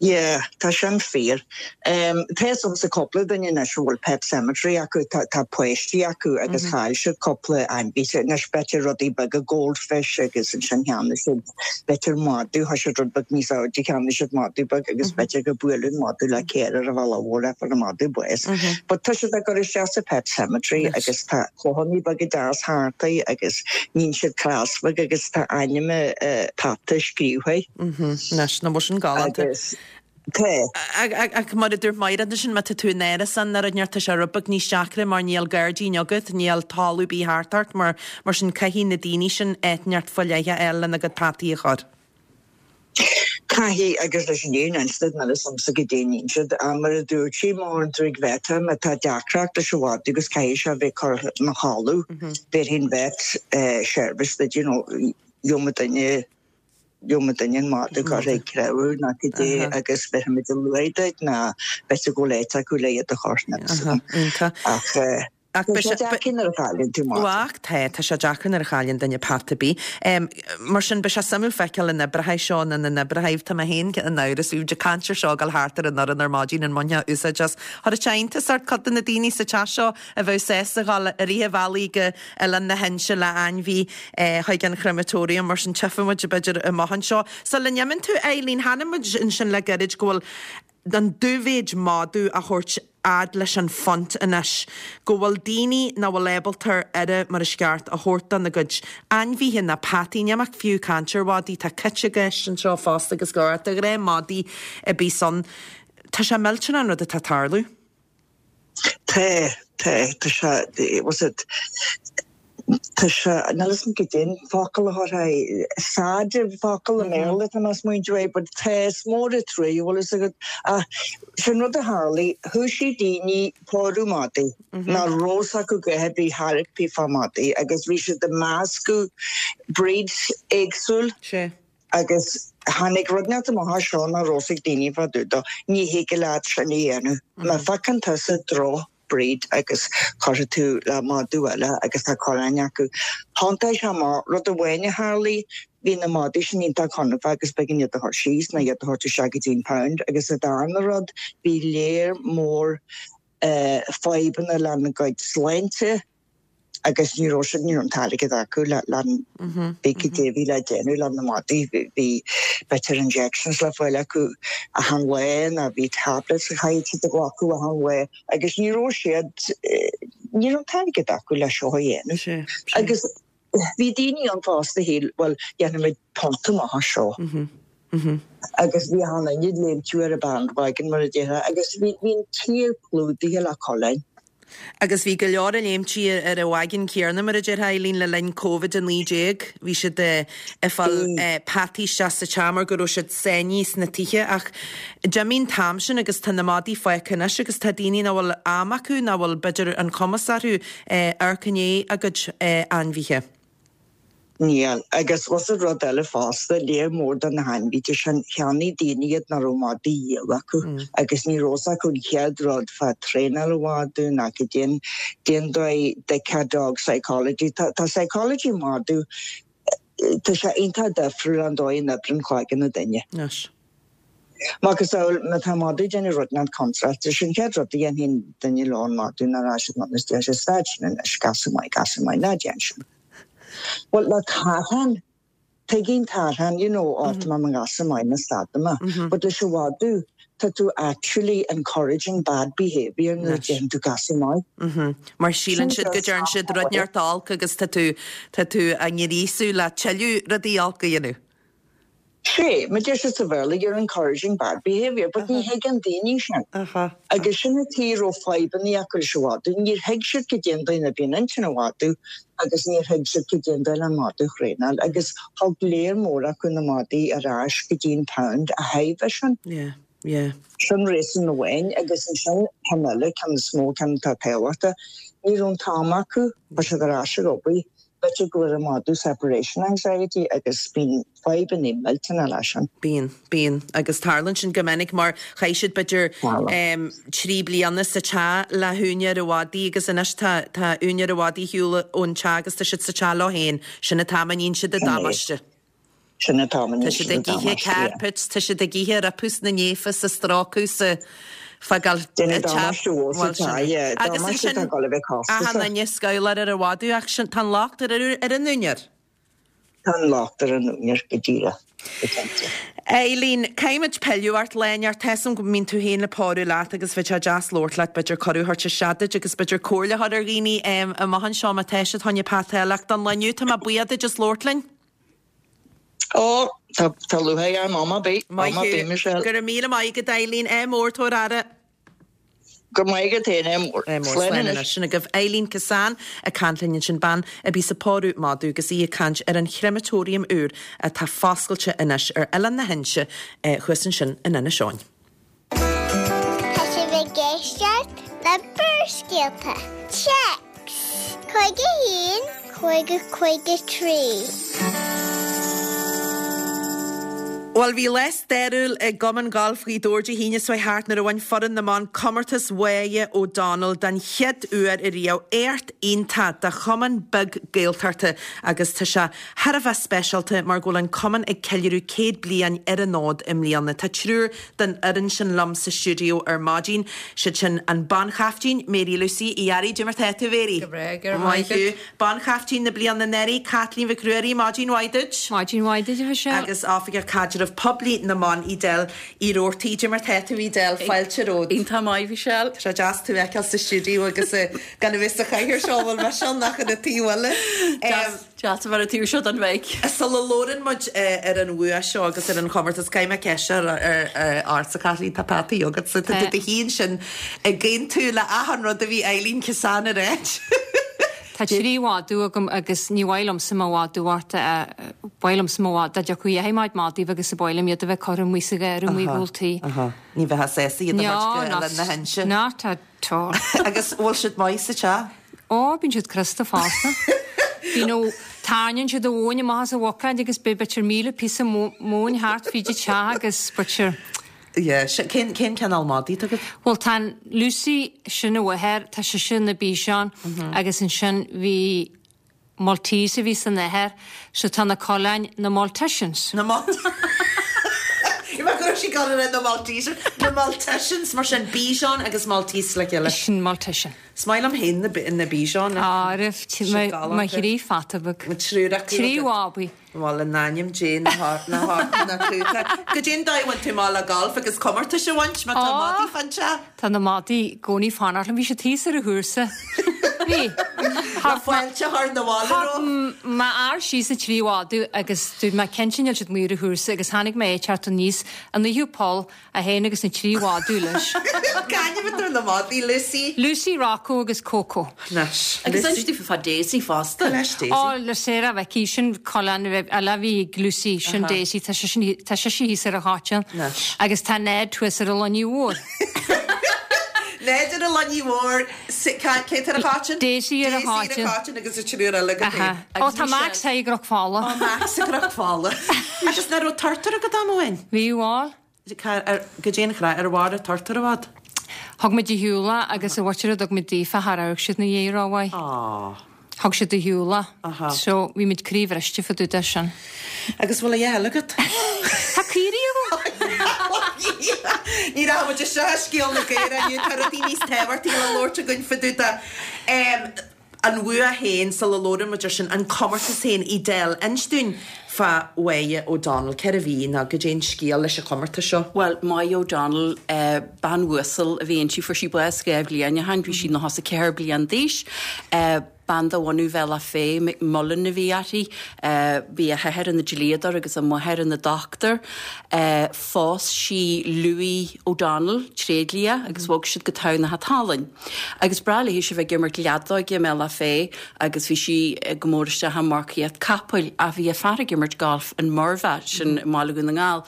Yeah, tá sin fíor. Tá fhios agamsa cúpla duine anois a bhfuil pet cemetery acu, tá páistí acu agus chaill siad cúpla ainmhí. Anois b'fhéidir rudaí beaga, goldfish agus ansin cheannaigh siad b'fhéidir madadh, tá siad rud beag níos airde, cheannaigh siad madadh beag agus b'fhéidir gur buaileadh an madadh le caor ar an bhealach mhór é fuair an madadh bás. But tá siad á gcur isteach sa pet cemetery agus tá clochannaí beaga deas thart air agus níonn siad cros bheag agus tá ainm an pheata scríobhtha. Anois, nach bhfuil sin galánta. Agus tá. Ach mar a dúirt Máire ansin, má tá tú in árasán nó rud inteacht tá sé rud beag níos deacra mar níl gairdín agat, níl talamh ar bith thart ort, mar mar sin caithfidh na daoine sin áit inteacht faoi leith a fháil lena gcuid peataí a chur. Caithfidh, agus leis an fhírinne a inse duit, níl fhios a'msa goidé a níonn siad, ach mar a dúirt sí, má théann tú ag vet, má tá deacracht leis an mhadadh agus caithfidh sé a bheith curtha ina chodladh, bhéarfaidh an vet service duit, you know, gheobhaidh duine Gheobhaidh duine an madadh curtha ag treabhadh nó cibé agus bhéarfaimid an luaith duit nó b'fhéidir go bhfuil áit acu le iad a chur níl fhios agam. Ach tá sé deacair nuair a chailleann tú madadh. Ach tá, tá sé deacair nuair a chailleann duine peata ar bith. Mar sin, beidh sé suimiúil feiceáil an oibreoidh seo nó an n-oibreoidh. Tá mé féin in amhras, bhí muid ag caint ar seo ag dul thart ar an fhoireann ar maidin an mbainfeá úsáid as. Chuirfeadh sé iontas ort cuid de na daoine sa teach seo a bheadh sásta a dhul i rith an bhealaigh go Oileán na hInse le ainmhí chuig an chrematorium, mar sin tchífidh muid b'fhéidir amach anseo. Sula n-imíonn tú, Eileen, chonaic muid ansin le gairid go bhfuil an dubh-mhéid madadh á thabhairt fhad leis an phunt anois, go bhfuil daoine nach bhfuil ábalta aire mar is ceart a thabhairt dona gcuid ainmhithe ná peataí, níl mé fiú ag caint ar mhadaí, tá cait i gceist anseo fosta agus go leor de ghnáth madaí a bíos ann. Tá sé millteanach an rud atá ag tarlú. Tá, tá, tá sé, was it, tá sé, níl fhios a'm goidé an focal a thabharfá, sad an focal i mBéarla atá mé ag smaointiú air, but tá, is mór an truaigh, bhfuil fhios agat, ach sin rud a tharlaigh, thoisigh daoine pórú madaí, nach raibh fhios acu a dhath ar bith ar bith fá madaí agus bhí siad ag meascadh breeds éagsúil. Sea. Agus tháinig rud inteacht amach as seo nach raibh fhios ag daoine fá dtaobh dó. Ní thig leat sin a dhéanamh. Má phiocann tusa droch breed agus cuirfidh tú le madadh eile agus tá coileáin acu. Thiontaigh sé amach. Rud amháin a tharlaigh, bhí na madaí sin iontach confadh agus b'éigean iad a chur síos nó iad a thabhairt isteach go dtí an pound. Agus an darna rud, bhí léar mór fadhbanna lena gcuid sláinte. agus ní raibh siad, ní raibh an t-airgead acu le, le, bhí cad é a bhí le déanamh le na madaí, bhí b'fhéidir injections le fáil acu achan lá nó bhí tablets a chaithfidh siad a ghlacadh achan lá agus ní raibh siad, ní raibh an t-airgead acu le seo a dhéanamh. Agus bhí daoine ann fosta a shíl, bhuel, dhéanfaimid punt amach as seo. Agus bhí achan duine ag léimtiú ar an bandwagon mar a déarfá agus bhí an tír clúdaithe le coileáin. Agus bhí go leor ag léimtí ar an wagon céanna, mar a déarfá, Eileen, le linn Covid-19. Bhí siad ag fáil peataí isteach sa teach mar go raibh siad sáinnithe sna tithe ach d'imigh an t-am sin agus tá na madaí fágtha anois agus tá daoine nach bhfuil am acu, nach bhfuil b'fhéidir an cumas orthu amharc i ndiaidh a gcuid ainmhithe. Níl. Agus was it rud eile fosta, léar mór de na hainmhithe sin, cheannaigh daoine iad nach raibh madaí a dhíol acu agus ní raibh fhios acu an chéad rud fá traenáil an mhadaidh ná cad é an dóigh de dog psychology. Tá tá psychology madadh, tá sé iontach difriúil ón dóigh a n-oibríonn cloigeann an duine. Anois. Macasamhail, má tá madadh ag déanamh rud inteacht contráilte, sin an chéad rud a dhéanfaidh an duine leo an madadh ná rá siad anonn is deir siad stad sin anois, gasúr maith, gasúr maith, ná déan sin. Bhuel, le tarrtháin, tuigeann tarrtháin, you know, ó tá mé i mo ghasúr maith ná stad mé. But leis an mhadadh, tá tú actually encouraging bad behaviour nuair a deireann tú gasúr maith. Mar síleann siad go dtearn siad rud inteacht olc agus tá tú, tá tú á ngríosadh le tuilleadh rudaí olc a dhéanamh. Sea, mar a deir siad sa Bhéarla, you're encouraging bad behaviour, but ní thuigeann daoine sin. Agus sin an tuige a raibh fadhbanna acu leis an mhadadh. Níor thuig siad cad é an dóigh a n-oibríonn intinn an mhadaidh agus níor thuig siad cad é an dóigh le an madadh a thraenáil. Agus thug léar mór acu na madaí ar ais go dtí an pound a thairbhe sin. Yeah, yeah. Sin réasún amháin agus ansin ceann eile, ceann is mó, ceann atá tábhachtach, ní raibh an t-am acu, tá siad ar ais ag obair. B'fhéidir go bhfuil an madadh separation anxiety agus bíonn fadhbanna millteanna leis sin. Bíonn, bíonn. Agus tarlaíonn sin go minic mar chaith siad b'fhéidir 3 bliana sa teach le húinéir an mhadaidh agus anois tá, tá úinéir an mhadaidh ar shiúl ón teach agus tá siad sa teach leo féin. Sin an t-am a níonn siad an damáiste. Sin atá Tá siad ag ithe carpets, tá siad ag ithe roipis na néafa 's ag strócadh 's ag fágáil Déanamh damáiste mhór sa teach, yeah. Agus Damáiste ansin atá ag dul a bheith achan costasach. duine scabhláir ar an mhadadh ach sin, tá an locht ar ar an úinéir. Tá an locht ar an úinéir go díreach, go cinnte. Eileen, caithfimid pilleadh ort lá inteacht. Tá 'fhios a'm go mbíonn tú féin le pórú leat agus bheadh sé deas labhairt leat, b'fhéidir cuireadh a thabhairt isteach duit agus b'fhéidir comhairle a chur ar dhaoine amach anseo má tá siad fá choinne peata eile ach don lá inniu tá mé buíoch duit as labhairt linn. Ó, tá, tá lúcháir orm am ar bith, Maith am ar bith, thú. Michelle. Go raibh míle maith agat Eileen. Ádh mór, tabhair aire. Go raibh maith agat féin, ádh mór. Ádh mór, Slán slán anois. anois. Sin agaibh Eileen Kissane ag caint linn ansin, bean a bíos ag pórú madadh agus í ag caint ar an chrematorium úr atá foscailte anois ar Oileán na hInse thuas ansin in Inis Eoghain. Tá sibh ag éisteacht le Barrscéalta. Téacs 51 50 53. Bhuel, bhí lá stairiúil i gCumann Gailf Ghaoth Dobhair Dé hAoine seo thart nuair a bhain foireann na mban comórtas Mháire O'Donnell den chéad uair ariamh. Éacht iontach do chumann beag Gaeltachta agus tá sé thar a bheith speisialta mar go bhfuil an cumann ag ceiliúradh 100 bliain ar an fhód i mbliana. Tá triúr den fhoireann sin liom sa stiúideo ar maidin, siad sin an banchaiftín, Mary Lucy Uí Fhearraigh, Cad é mar tá tú, a Mhary? Go breá, go raibh Maith maith thú. agat. Banchaiftín na bliana anuraidh, Caitlín Mhic Ruairí, maidin mhaith duit. Maidin mhaith duit, a Mhichelle. Agus Oifigeach Caidreamh Poiblí na mBan, Edel Uí Robhartaigh, Cad é mar tá tú, Edel? Fáilte romhat. Iontach maith, Michelle. Tá sé deas tú a fheiceáil sa stiúideo agus gan a bheith sa chathaoir seo, a bhfuil Michelle nach ina taobh eile. Deas. Deas a bheith ar an taobh seo den mhic. Sula labhrann muid ar an bhua seo agus ar an chomórtas, caithfidh mé ceist a chur ortsa, Caitlín, tá peataí agatsa, tá tú do shuí ansin ag aontú le achan rud a bhí Eileen Kissane a ráit. Tá trí mhadadh agam agus ní mhaith liomsa mo mhadadh ort a, ba mhaith liomsa mo mhadadh, dá dtiocfadh a dhath madaidh agus ba mhaith liom iad a bheith curtha amuigh sa gharradh amuigh i gcúl tí. Ní bheifeá sásta iad a thabhairt go Oileán na hInse. Not at all. Agus bhfuil siad maith sa teach? Ó, bíonn siad crosta fosta. Bíonn ó, tarraingíonn siad an mhóin amach as an bhuicéad agus beidh b'fhéidir 1,000 píosa móin thart fríd an teach agus b'fhéidir. Yeah, cén, cén cineál madaí atá agat? Bhuel tá an Lucy sin a mháthair, tá sise ina Bichon agus ansin bhí Maltese a bhí san athair, so tá na coileáin na Maltesians. Na Mal. Bhí mé go raibh sí ag dul a rá na Maltesers, na Maltesians, mar sin Bichon agus Maltese le chéile. Sin Maltesian. Is maith liom féin na Bichon. Á, raibh mo thrí pheata beag. Mo triúr acu. Trí bhábaí. Bhuel, in ainm Dé na na cúta. Goidé an dóigh a bhfuil tú amach le galf agus comórtais a bhaint má tá madaí fán teach? Tá na madaí i gcónaí ag fanacht liom. Bhí siad thíos ar an chúrsa. Bhí. Tá fáilte thar na bhaile romhat. Thug m'fhear síos na trí mhadadh agus dúirt mé cinnte níl siad amuigh ar an chúrsa agus tháinig mé ag teacht aníos an naoú poll É féin agus na trí mhadadh leis. C'ainm atá ar na madaí, Lucy? Lucy, Rocco agus Coco. Anois, Agus inis dúinn fá Daisy fosta. Leis Daisy. Ó, le Sarah Mhicí, sin coileán eile a bhí ag Lucy, sin Daisy, tá sise tá sise thíos ar an chóitseán. Anois. Agus tá Ned thuas ar an Luinnigh Mhór. Ned ar an Luinnigh Mhór, cé tá ar an chóitseán? Daisy ar an chóitseán. Daisy ar an chóitseán agus an triúr eile agat féin. Ó, tá Max i gCnoc Fola. Ó, Max i gCnoc Fola. Agus nach raibh turtar agat am amháin? Bhí, bhuel. Goidé an chraic, ar mhair an turtar i bhfad? Thug muid ar shiúl é agus an mhuintir a dtug muid daofa char amharc siad 'na dhiaidh rómhaith. Aww. Thug siad ar shiúl é. Aha. So bhí muid croíbhriste fá dtaobh de sin. Agus bhfuil a dhath eile agat? Tá caoirigh agam! Ní rachaidh muid isteach i scéal na gcaorach inniu, tá rudaí níos tábhachtaí le labhairt againn fá dtaobh de. An bhua féin, sula labhrann muid ar sin, an comórtas féin, Edel, inis dúinn fá Mháire O'Donnell, cérbh í nó goidé an scéal leis an chomórtas seo? Bhuel, Máire O'Donnell, bean uasal a bhí inti, fuair sí bás 2 bhliain ó shin, bhí sí 94 bliain d'aois. Bean de bhunadh Bhealach Féich, McMullen a bhí uirthi. Bhí a hathair ina dlíodóir agus a máthair ina dochtúir. Phós sí Louis O'Donnell, tréidlia, agus bhog siad go Tamhnach an tSalainn. Agus breá léi a bheith ag imirt leadóige i mBealach Féich agus bhí sí go mór isteach i marcaíocht capaill ach bhí a fear ag imirt golf in Murvagh, sin i mBaile Dhún na nGall,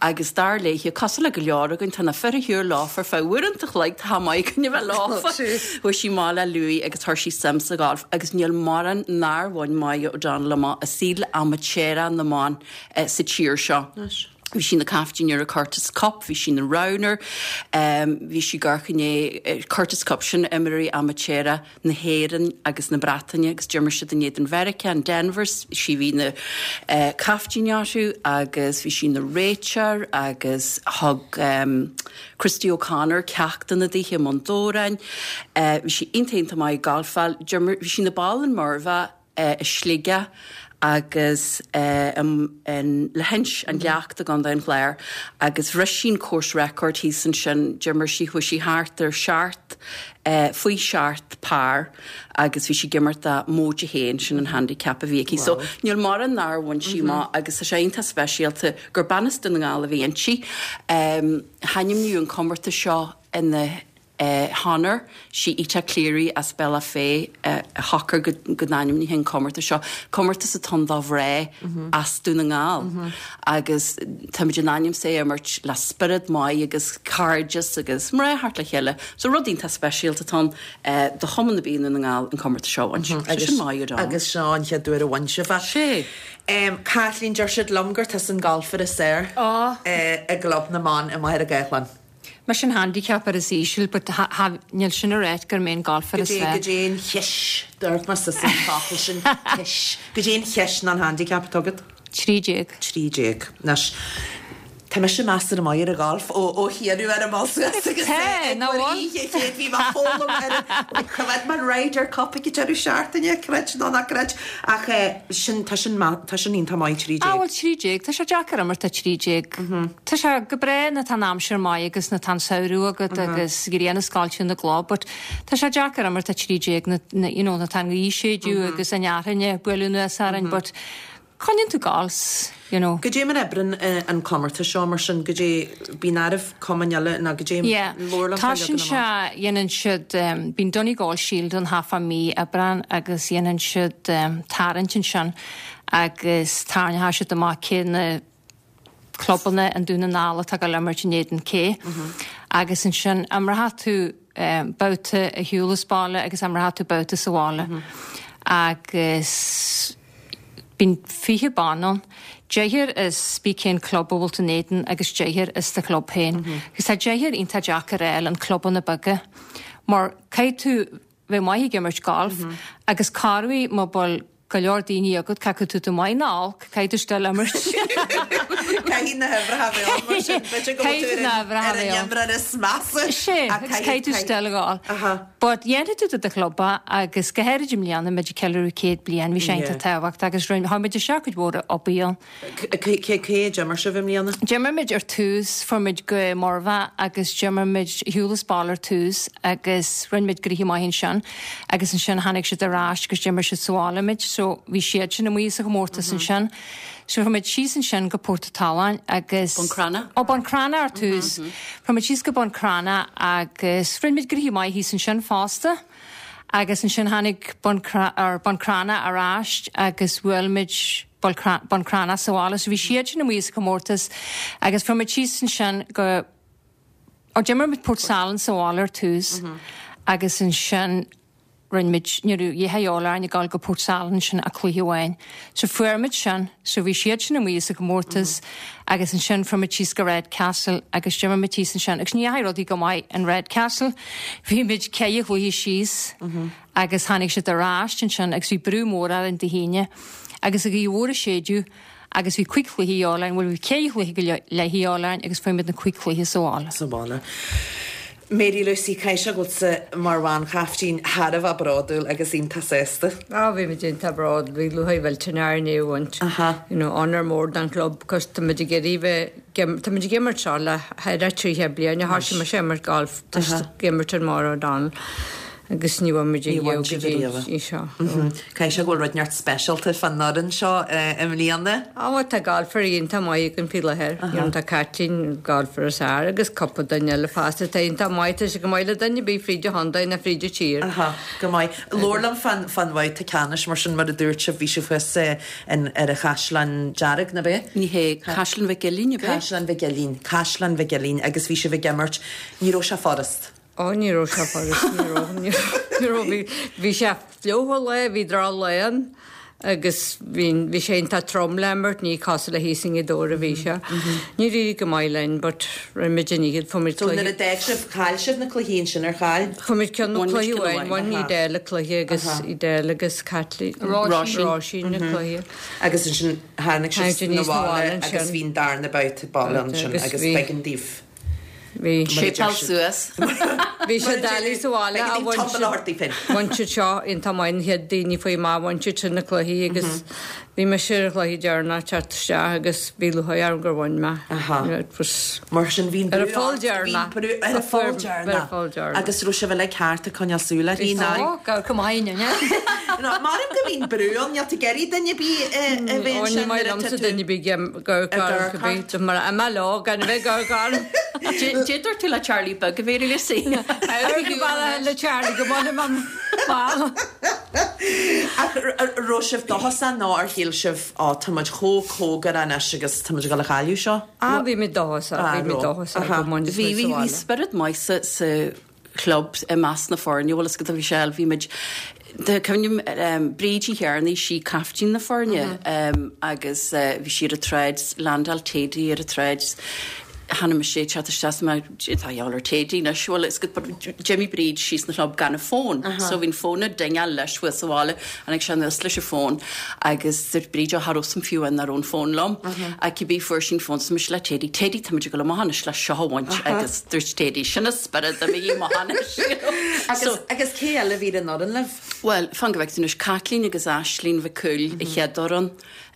agus dar léi, cosúil le go leor againn, tá na fir ar shiúl leofa ar feadh uaireanta an chloig, tá maith againn a bheith leofa. Chuaigh sí amach le Louis agus chuir sí suim sa gholf agus níl mórán nár bhain Máire O'Donnell amach i saol amaitéarach na mban sa tír seo. Bhí sí ina caiftín ar an Curtis Cup, bhí sí ina roghnoir, bhí sí ag amharc i ndiaidh Curtis Cup, sin imreoirí amaitéara na hÉireann agus na Breataine agus d'imir siad in éadan Mheiriceá in Denver, sí a bhí ina caiftín orthu agus bhí sí ina réiteoir agus thug Christy O'Connor ceachtanna daoithe i mbun Dobhráin. Bhí sí iontach iontach maith ag galfáil, d'imir, bhí sí ina ball in Murvagh, i Sligeach agus in Leithinse, an Leacht i gContae an Chláir agus bhris sí an course record thíos ansin, d'imir sí, chuaigh sí thart ar seacht, faoi sheacht par agus bhí sí ag imirt do móide haon, sin an handicap a bhí aici. So níl mórán nár bhain sí amach agus tá sé iontach speisialta gur bean as Dún na nGall a bhí inti. Hainmníodh an comórtas seo ina honor. Sí Ita Cleary as Bealach Féich a shocair go n-ainmneofaí an comórtas seo. Comórtas atá ann do mhná as Dún na nGall agus táimid in ainm 's é a imirt le spiorad maith agus cairdeas agus mná a theacht le chéile. So rud iontach speisialta atá ann do Chumann ar bith i nDún na nGall an comórtas seo a bhaint. So sin maith ar Agus seo an chéad uair a bhain sibh é. Sé. Caitlín, deir siad liom gur tusa an golfer is fearr i gClub na mBan i Machaire Gathlán. Mise an handicapper is íseal but ha ha níl sin a ráit gur mé an golfer is fearr. Goidé an chish, dúirt mé suas an focal sin, cish. Goidé an chish ná an handicap atá agat? 13. 13. Anois, tá mise measartha maith ar an gholf ó ó hiarradh orm dul suas agus Tá, ag ná cur bhfuil? oíche chéad bhí mé ag foghlaim ar an choimeád mé an Ryder Cup ag an deireadh seachtaine, creid nó ná creid. Ach eh, sin, tá sin maith, tá sin iontach maith, 13. Ah bhuel 13, tá sé deacair imirt 13. Tá sé go breá nuair atá an aimsir maith agus nuair atá an samhradh agat agus grian ag scoilteadh na gcloch but tá sé deacair imirt 13 na, na, you know, nuair atá an ghaoth ag séideadh agus an fhearthainn ag bualadh anuas orainn but coinníonn tú ag gabháil 's, you know. Goidé mar a oibreann an comórtas seo mar sin, goidé, bíonn áireamh cumainn eile nó goidé Yeah, labhair liom fá toisíonn leagan sé, amach. dhéanann siad, bíonn Donegal Shield ann thart fá mí Aibreán agus dhéanann siad tarraingt ansin agus tarraingeoidh siad amach cé na clubanna i nDún na nGall atá ag dul imirt in éadan cé. Agus ansin imreoidh tú babhta ar shiúl as baile agus imreoidh tú babhta sa bhaile. Agus bíonn 20 bean ann, deichniúr as cibé cén club a bhfuil tú in éadan agus deichniúr as do chlub féin. Agus tá deichniúr iontach deacair a fháil, an clubanna beaga, mar caithfidh tú bheith maith ag imirt golf agus corruair má bhfuil go leor daoine agat, caithfidh tú tú maith ná olc, caithfidh tú still imirt. Caithfidh na huimhreacha a bheith ann mar sin, b'fhéidir go bhfuil tú ar an imreoir is measa. Sé, agus caithfidh tú still a ghabháil. But dhéanfaidh tú do do chlub é agus go háirid i mbliana, muid ag ceiliúradh 100 bliain, bhí sé iontach tábhachtach agus chuir muid isteach cuid mhór obair ann. Cé a d'imir sibh i mbliana? D'imir muid ar tús, fuair muid go Murvagh agus d'imir muid ar shiúl as baile ar tús agus rinne muid gnoithe maith ansin agus ansin tháinig siad ar ais agus d'imir siad sa bhaile muid so bhí siad sin amuigh sa chomórtas ansin. So fuair muid síos ansin go Port an tSalann agus. Bun Cranncha? Ó Bun Cranncha ar tús. Fuair muid síos go Bun Cranncha agus rinne muid gnoithe maith thíos ansin fosta agus ansin tháinig Bun Bun Cranncha ar ais agus bhuail muid Bun Cranncha sa bhaile so bhí siad sin amuigh sa chomórtas agus fuair muid síos ansin go ó d'imir muid Port Salann sa bhaile ar tús agus ansin rinne muid, ní raibh a dhath de dhíobháil orainn ag dul go Port Salann ansin ach cluiche amháin. So fuair muid sin, so bhí siad sin amuigh sa chomórtas agus ansin fuair muid síos go Redcastle agus d'imir muid thíos ansin agus ní dheachaigh rudaí go maith in Redcastle. Bhí muid ceithre chluiche síos agus tháinig siad ar ais ansin agus bhí brú mór orainn Dé hAoine agus an ghaoth mhór ag séideadh agus bhí cuig chluiche de dhíobháil orainn, bhuel bhí ceithre chluiche go leith de dhíobháil orainn agus fuair muid na cuig chluiche sa bhaile. Sa bhaile. Mary Lucy, caithfidh sé go bhfuil tusa mar bhanchaiftín thar a bheith bródúil agus iontach sásta. Á bhí muid iontach bródúil, bhí lúcháir mhillteanach orainn é a bhaint. You know, onóir mór don chlub cos tá muid ag iarraidh bheith, tá muid ag imirt seo le thar 30 bliain, ó thoisigh mise ag imirt golf, ag imirt ar Maura O'Donnell. Agus ní bhain muid Ní bhain sibh ariamh go dtí seo. Caithfidh sé go bhfuil rud inteacht speisialta fán fhoireann seo i mbliana. Á bhuel tá galfairí iontach maith againn faoi láthair. You know tá Caitlín, galfaire is fearr agus cúpla duine eile fosta atá iontach maith. Tá sé go maith le duine ar bith fríd an chontae ná fríd an tír. Aha, go maith. Labhair liom fán fán bhabhta ceannais mar sin mar a dúirt sibh bhí sibh thuas in ar an Chaisleán Dearg, ná b'é? Ní hé, Caisleán Mhic Uilín, ab é? Caisleán Mhic Uilín, Caisleán Mhic Uilín agus bhí sibh ag imirt, ní raibh sé furast. Ó ní raibh sé furast, ní raibh, ní raibh, bhí, bhí sé fliuch an lá, bhí droch lá ann. Agus bhí, bhí sé iontach trom le imirt, ní cosúil le thíos i nGaoth Dobhair a bhí sé. Níor éirigh go maith linn but rinne muid an oiread, fuair muid So nuair cluiche. a d'fhág sibh, chaill sibh na cluichí ansin, ar chaill? Fuair muid ceann, Bhain muid cluiche ceann amháin, amháin. bhain Edel an cluiche agus Edel agus Caitlín, Róisín. Róisín na cluiche. Agus ansin tháinig Tháinig sibh muid na aníos na bhaile bhaile agus ansin. bhí an darna babhta baile ansin Agus agus bhí. b'éigean daoibh. Bhí. Séipeáil suas. Bhí sé doiligh sa bhaile ach bhain siad, bhain siad seo iontach maith an chéad daoine faoi amach, bhain siad sin na cluichí agus bhí mise ar an chluiche deireanach teacht isteach agus bhí lúcháir orm gur bhain mé. It was. Mar sin bhí an Ar brú an pholl ort, bhí an deireanach. brú ar an pholl deireanach. Ar an pholl deireanach. Agus raibh sibh uilig thart ag coinneáil súil uirthi nó? Ó, gabh go maith inniu. Nó maram go mbíonn brú ann, níl tú ag iarraidh duine ar bith a bheith Ó, ní ansin maith nuair atá liomsa tú duine ar bith ag amharc orm cibé, mar a leo gan a bheith ag amharc orm. Cad dúirt tú le Charlie Beag a Mhary Lucy? Ar go bhfada le Charlie go mbainfidh mé an Ach raibh sibh dóchasach nó ar shíl sibh, ó tá muid chomh cóngarach anois agus tá muid ag dul a chailleadh seo? Ah, bhí mé dóchasach, bhí mé dóchasach go mbainfidh Bhí, muid bhí, sa bhí bhaile. spiorad maith sa, sa chlub i measc na foirne, bhfuil fhios agat a Mhichelle, bhí muid, tá cuimhním Bríd Uí Chearnaigh, sí caiftín na foirne agus bhí sí ar an tsráid, landáil Tady ar an tsráid, chonaic mise é teacht isteach is mé, tá a gheall ar Tady anois, bhfuil fhios agat, but d'imigh Bríd síos na chlub gan a fón, so bhí an fón ag dingeáil leis thuas sa bhaile, tháinig sé anuas leis an fón agus dúirt Bríd, ó cha raibh 'fhios a'm fiú amháin nach raibh an fón liom. Ach cibé fuair sí an fón so mise le Tady, Tady tá muid ag dul amach anois le seo a bhaint agus dúirt Tady, sin an spiorad imígí amach anois. you know. Agus, So, agus cé eile a bhí ar an fhoireann libh? Bhuel, fan go bhfeice tú anois, Caitlín agus Aislín Mhic Cumhaill an chéad fhoireann,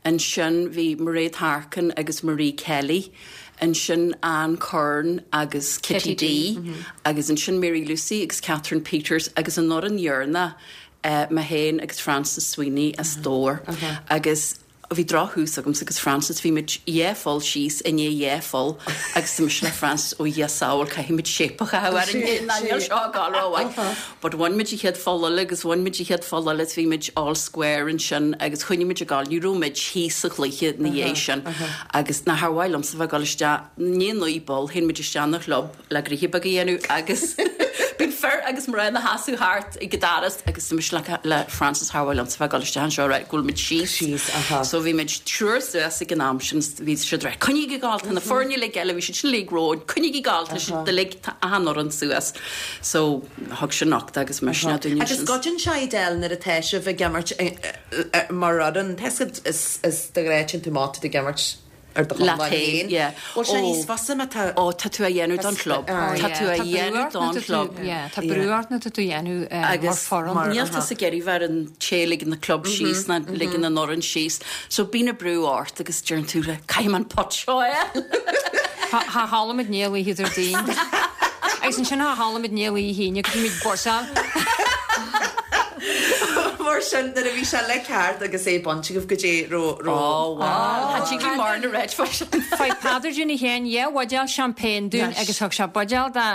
ansin bhí Mairéad Harkin agus Marie Kelly, ansin Anne Curran agus Kitty Dee, agus ansin Mary Lucy agus Catherine Peters agus an fhoireann dheireanach mé féin agus Frances Sweeney as Dobhar agus bhí drochthús agamsa agus Frances, bhí muid dhá pholl síos i ndiaidh dhá pholl agus tá mise le Frances, ó Dhia sábháil caithfidh muid shape a chaitheamh orainn nó níl seo ag gabháil rómhaith. But bhain muid an chéad pholl eile agus bhain muid an chéad pholl eile is bhí muid all square ansin agus choinnigh muid ag gabháil, ní raibh muid thíos sa chluiche ina dhiaidh sin agus nach ar mhaith liomsa bheith ag dul isteach, i ndiaidh naoi bpoll, théann muid isteach 'na chlub le gnoithe beag a dhéanamh agus bíonn fir agus mná ina sheasamh thart ag an doras agus tá mise le le Frances char mhaith liomsa bheith ag dul isteach anseo right go bhfuil muid síos. Síos, aha. So bhí muid triúr suas ag an am sin bhí siad right coinnígí ag gabháil tá na foirne uilig eile bhí siad sin uilig romhainn coinnígí ag gabháil tá siad uilig tá achan fhoireann suas. So thug sin nochtadh agus misneach dúinn Agus ansin. goideann sé Edel nuair atá sibh ag imirt mar fhoireann tá 'fhios agat is is de ghnáth téann tú amach tá tú ag imirt ar do Leat chonlán féin, féin. yeah. Bhfuil sé Ó. níos fusa má tá Ó, tá tú á dhéanamh don chlub. Tá tú á dhéanamh don chlub. Yeah, tá brú ort nuair atá tú á dhéanamh mar Agus foireann. níl tusa ag iarraidh bheith ar an té a ligeann an club síos ná ligeann an fhoireann síos. So bíonn an brú ort agus deireann tú caithfidh mé an putt seo a fháil. Cha chodlaímid i ndiaidh oíche Déardaoin. Agus ansin cha chodlaímid i ndiaidh oíche Aoine go mbímid bursal. Mar sin nuair a bhí sé le ceart agus é bainte agaibh goidé raibh raibh. Ó wow. Tá tigh mar na Red Fish. Fuair Peadar Jimmy Sheáin dhá bhuidéal champagne dúinn agus thug sé buidéal do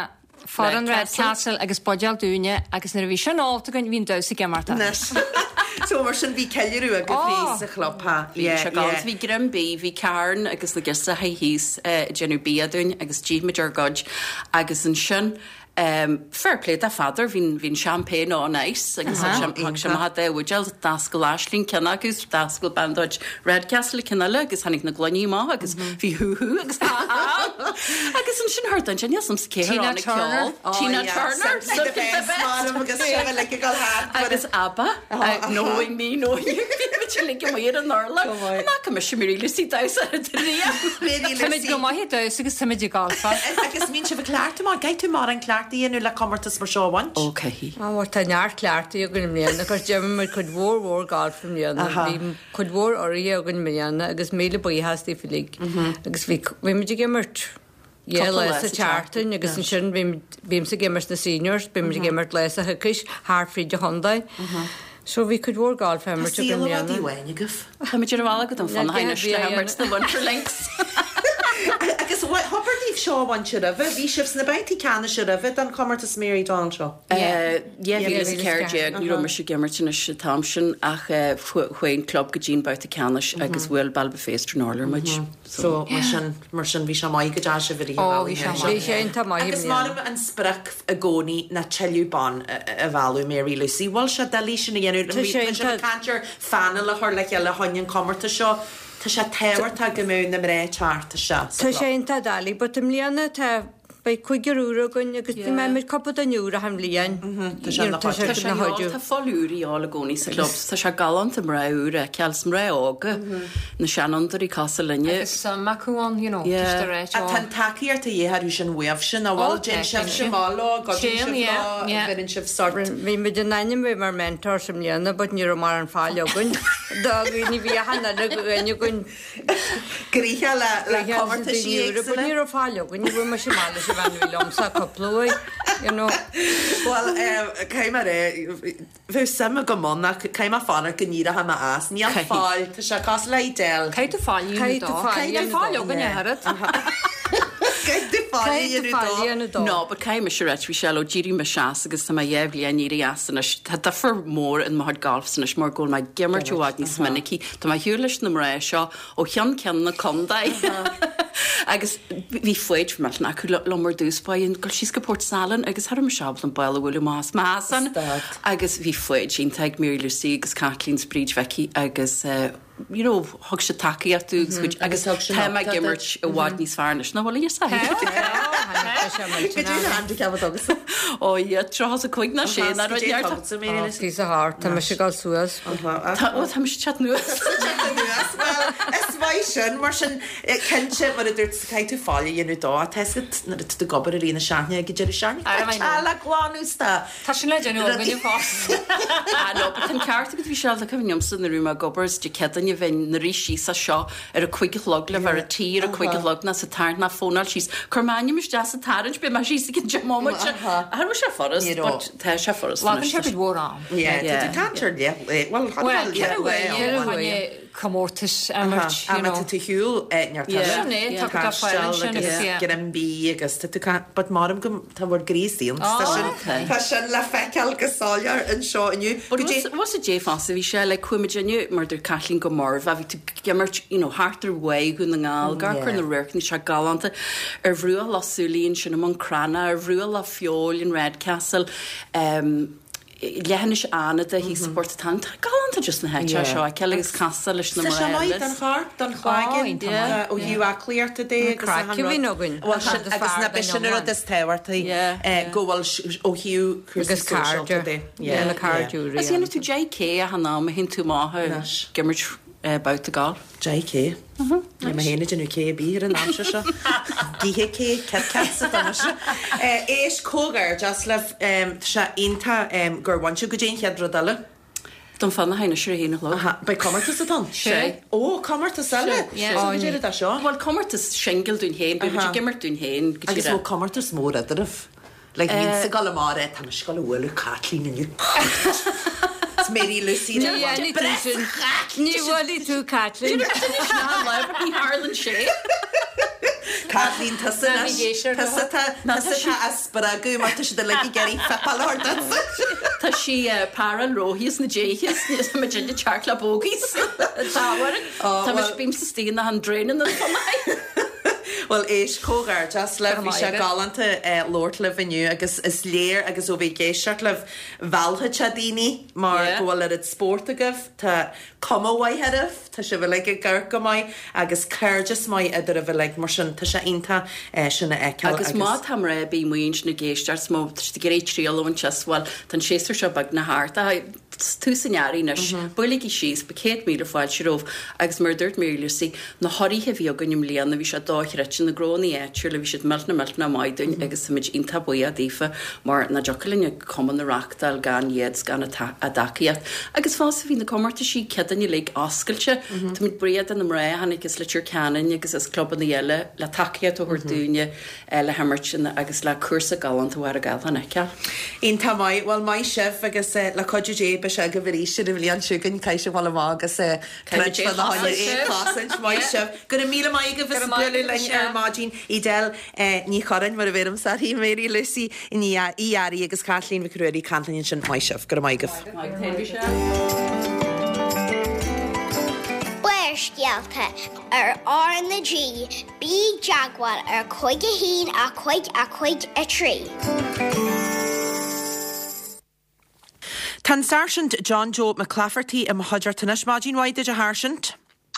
foireann Red Red Castle. Castle agus buidéal dúinne agus nuair a bhí sin ólta againn bhí an damhsa ag imeacht as. Anois. So mar sin bhí ceiliúradh agaibh thíos sa chlub ha. Bhí Yeah, sé galánta. yeah. Bhí greim bídh, bhí Karen agus na girseachaí thíos ag déanamh bia dúinn agus d'ith muid ár gcuid agus ansin Fair play do Pheadar, bhí an champagne on ice agus thug sé amach an dá bhuidéal, d'oscail Aisling ceann acu is d'oscail bean de chuid Redcastle ceann eile agus tháinig na gloiní amach agus bhí hú hú agus há há agus ansin thart ansin níl 's a'msa cé a tháinig ceol. Tina Turner! Simply the best madam agus sibh uilig ag dul thart. Agus ABBA, Knowing Me, Knowing You, bhí muid uilig amuigh ar an urlár. An fhaca mise Mary Lucy damhsa ar an riamh? Mary Táimid go Lucy. maith ag damhsa agus táimid ag golfáil. Agus mbíonn sibh ag cleachtadh maith, caithfidh tú mórán cleachtaidh a dhéanamh le comórtas mar seo a bhaint. Ó, caithfidh. Á, bhuel, tá neart cleachtaidh againn i mbliana, cos d'imir muid cuid mhór mhór galf i mbliana. Bhí cuid mhór urraithe againn i mbliana agus míle buíochas daofa uilig. Agus bhí, bhí muid ag imirt dhá Cúpla lá lá sa sa tseachtain agus ansin bhí, bímse ag imirt na seniors, bímid ag imirt lá sa choicís thart fríd an chontae. So bhí cuid mhór galf á Tá imirt againn i saol i bhfad mbliana. uainn agaibh. Táimid ar an bhealach go Dún Fionnachaidh anois le himirt sna Winter Links. Agus an bhfuil Hobair daoibh seo a bhaint roimhe, bhí sibh sna babhtaí ceannais roimhe don chomórtas Mary Donald seo. 2014, ní raibh mise ag imirt anois an t-am sin ach chuaigh an club go dtí an babhta ceannais agus bhuail Ballybofey is Stranorlar muid. So mar sin, mar sin bhí sé maith go dteachaigh sibh i rith an bhealaigh Ó, bhí sé maith. Bhí sé iontach maith i Agus mbliana. maram an sprioc i gcónaí ná tuilleadh bonn a mhealladh, Mary Lucy. Bhfuil sé doiligh sin a dhéanamh? Tá sé Tá sibh ag iontach. caint ar phainéal a chur le chéile chun an comórtas seo. Tá sé tábhachtach go mbeadh na mná teacht isteach sa Tá chlub. sé iontach doiligh but i mbliana tá Beidh cúigear úr againn agus ní mbeidh muid cúpla duine úr achan bhliain. Tá sé ina Tá sé Tá sé ina gheall, chuidiú. tá fáil úr a dhíobháil i gcónaí sa chlub. Tá sé galánta mná úr a fheiceáil, 's mná óga, na seanfhondúirí cosúil linne. Agus suim acu ann, you know, Yeah. just a ráit, Tá ó. an tacaíocht a dhíth orthu sin uaibhse, nach bhfuil? Ó, tá, Déanann sibhse cinnte. maith leo, goideann Téann, sibh yeah, leo, yeah. bheireann sibh sort. Bhí muid in ainm bheith mar mentors i mbliana but ní raibh mórán fáil againn. Do dhaoine bhí achan uile dhuine againn Gnoitheach le comórtaisí éagsúla. Ní raibh fáil againn, ní bhfuair mise amach leis an bhean a bhí liomsa cúpla uair, you know. Bhuel, caithfidh mé a rá, bheadh suim agam ann ach caithfidh mé fanacht go n-éireoidh mé as. Níl fáil, tá sé cosúil le Edel. Caithfidh tú fáil a dhéanamh dó. Caithfidh tú fáil againn a oiread. Caithfidh tú fáil a dhéanamh dó. No, but caithfidh mise a ráit, Mhichelle, ó d'éirigh mise as agus tá mé 2 bhliain éirithe as anois, tá difear mór in mo chuid golf anois mar go bhfuil mé ag imirt i bhfad níos minicí. Tá mé ar shiúl leis na mná seo ó cheann ceann na contae agus bhí foighid millteanach acu liom ar dtús báire, dul síos go Port Salann agus cha raibh mise ábalta an ball a bhualadh amach as m'fheasán agus bhí foighid iontach ag Mary Lucy agus Kathleen 's Bríd Mhicí agus you know, thug siad tacaíocht dúinn agus chuid agus tá mé ag imirt i bhfad níos fearr anois ná bhfuil a fhios agat. Go dtí an handicap atá agatsa. Ó yeah, 35 ná sé ná rud neart. Píosa thart, tá mise ag dul suas. Tá, ó tá mise ag teacht anuas. Teacht anuas, bhuel, is maith sin, mar sin, cinnte, mar a dúirt, caithfidh tú fáil a dhéanamh dó, tá a fhios agat nuair atá tú ag obair i rith na seachtaine ag an deireadh seachtaine, tá teach le glanadh 's tá Tá sin le déanamh againne fosta. Ah no, but tá an ceart agat Mhichelle, tá cuimhin liomsa nuair a bhí mé ag obair is Dé Céadaoine bheinn 'na rith síos as seo ar a cuig a chlog le bheith ar an tí ar a cuig a chlog ná sa tarraingt ná fónáil síos. Cuir m'ainm isteach sa tarraingt, beidh mé síos i gcionn 10 mbomaite. Cha raibh sé furast, but tá sé furast Glacann anois. sé cuid mhór am. Yeah, tá tú caint ar leith, bhuel, Bhuel, 4 uair, comórtas a imirt, you know. Tá tú ar shiúl neart eile. Sin é, tá go fáil ansin agus yeah. Greim bídh agus tá tú ca- but maram go tá bhur gcroí saon. Tá sin tá sin le feiceáil go soiléir anseo inniu. But was it Dé fosta bhí sé like chuaigh muid inniu mar dúirt Caitlín go Murvagh bhí tú ag imirt you know thart ar Bháigh Dhún na nGall amharc ar na radharcanna seo galánta ar bhruach Loch Súilí ansin i mBun Cranncha ar bhruach Loch Feabhail in Redcastle um, Leithinis Fhánada thíos i bPort an Tá galánta just na háite seo a fheiceáil agus casadh leis na Tá sé mná maith eile. don chorp, don chloigeann, ó thaobh aclaíochta de agus craic a bhíonn againn. Bhuel sin agus na b'shin an rud is tábhachtaí go bhfuil ó thaobh cúrsaí Agus sóisialta cairde. de. Yeah, na cairde úra. Is dhéanfaidh tú 10K achan am a théann tú amach ag imirt babhta gailf. 10K. Níl mé féin ag déanamh K ar bith ar an aimsir seo. Githe K, Kit Kats atá mise. Éist, comhghairdeas libh. Tá sé iontach gur bhain sibh. Goidé an chéad rud eile. Dún Fionnachaidh anois ar a haon a chlog. Aha, beidh comórtas atá ann? Sé. Ó, comórtas eile? Sé. So goidé rud é seo? Bhuel, comórtas singil dúinn féin, beidh muid ag imirt dúinn féin go Agus bhfuil comórtas mór eadraibh? Like bhínnse ag dul amach ar tá mise ag dul a bhualadh Caitlín inniu. It's Mary Lucy Ní dhéanfaidh tú sin. Ní bhuailfidh tú Caitlín. Ní tharlann sé. Caitlín tusa anois. Tusa tá tusa tá á spreagadh mar tá siad uilig ag iarraidh fuipeáil a thabhairt duitse. Tá sí páráil róthaí is na déithe is tá muid ag teacht le bogies. Tá Tá mise bímsa istigh in an draenan an fanaidh. Bhuel éist, comhghairdeas libh, bhí sé galánta labhairt libh inniu agus is léir agus ó bheith ag éisteacht libh, mheallfadh sé daoine mar go bhfuil oiread spóirt agaibh, tá cuma mhaith oraibh, tá sibh uilig ag amharc go maith agus cairdeas maith eadraibh uilig, mar sin tá sé iontach sin a fheiceáil Agus má tá mná ar bith amuigh ansin ag éisteacht, má tá siad ag iarraidh triail a bhaint as, bhuel, tá an séasúr seo beagnach thart, tús an earraigh anois. Buailigí síos, beidh 100,000 fáilte romhaibh agus mar a dúirt Mary Lucy, na hurraithe a bhí againn i mbliana, bhí sé dochreidte, na gnónnaí áitiúla, bhí siad millteanach millteanach maith dúinn agus táimid iontach buíoch daofa mar nach dtiocfadh linn an cumann a reachtáil gan iad 's gan a dtacaíocht. Agus fosta bhí na comórtaisí Céadaoine uilig oscailte. Táimid buíoch de na mná a tháinig as Leitir Ceanainn agus as clubanna eile le tacaíocht a thabhairt dúinne. le himirt agus le cúrsa galánta Mhachaire Gathlán a fheiceáil. Iontach maith. Bhuel, maith sibh agus le cuidiú Dé. beidh sé agaibh arís ar an bhliain seo chugainn, caithfidh sibh dul amach agus troid fá choinne é a chosaint. Maith sibh. Go raibh míle maith agaibh as bualadh linn ar maidin. Edel Ní Churráin, mar a bheirimse uirthi, Mary Lucy Ní Fhearraigh agus Caitlín Mhic Ruairí ag caint linn ansin. Maith sibh. Go raibh maith agaibh. Barrscéalta ar R na G, bí i dteagmháil ar 5 1 5 5 3. Tá an Sáirsint John Joe McClafferty i mo chuideachta anois. Maidin mhaith duit a Sháirsint.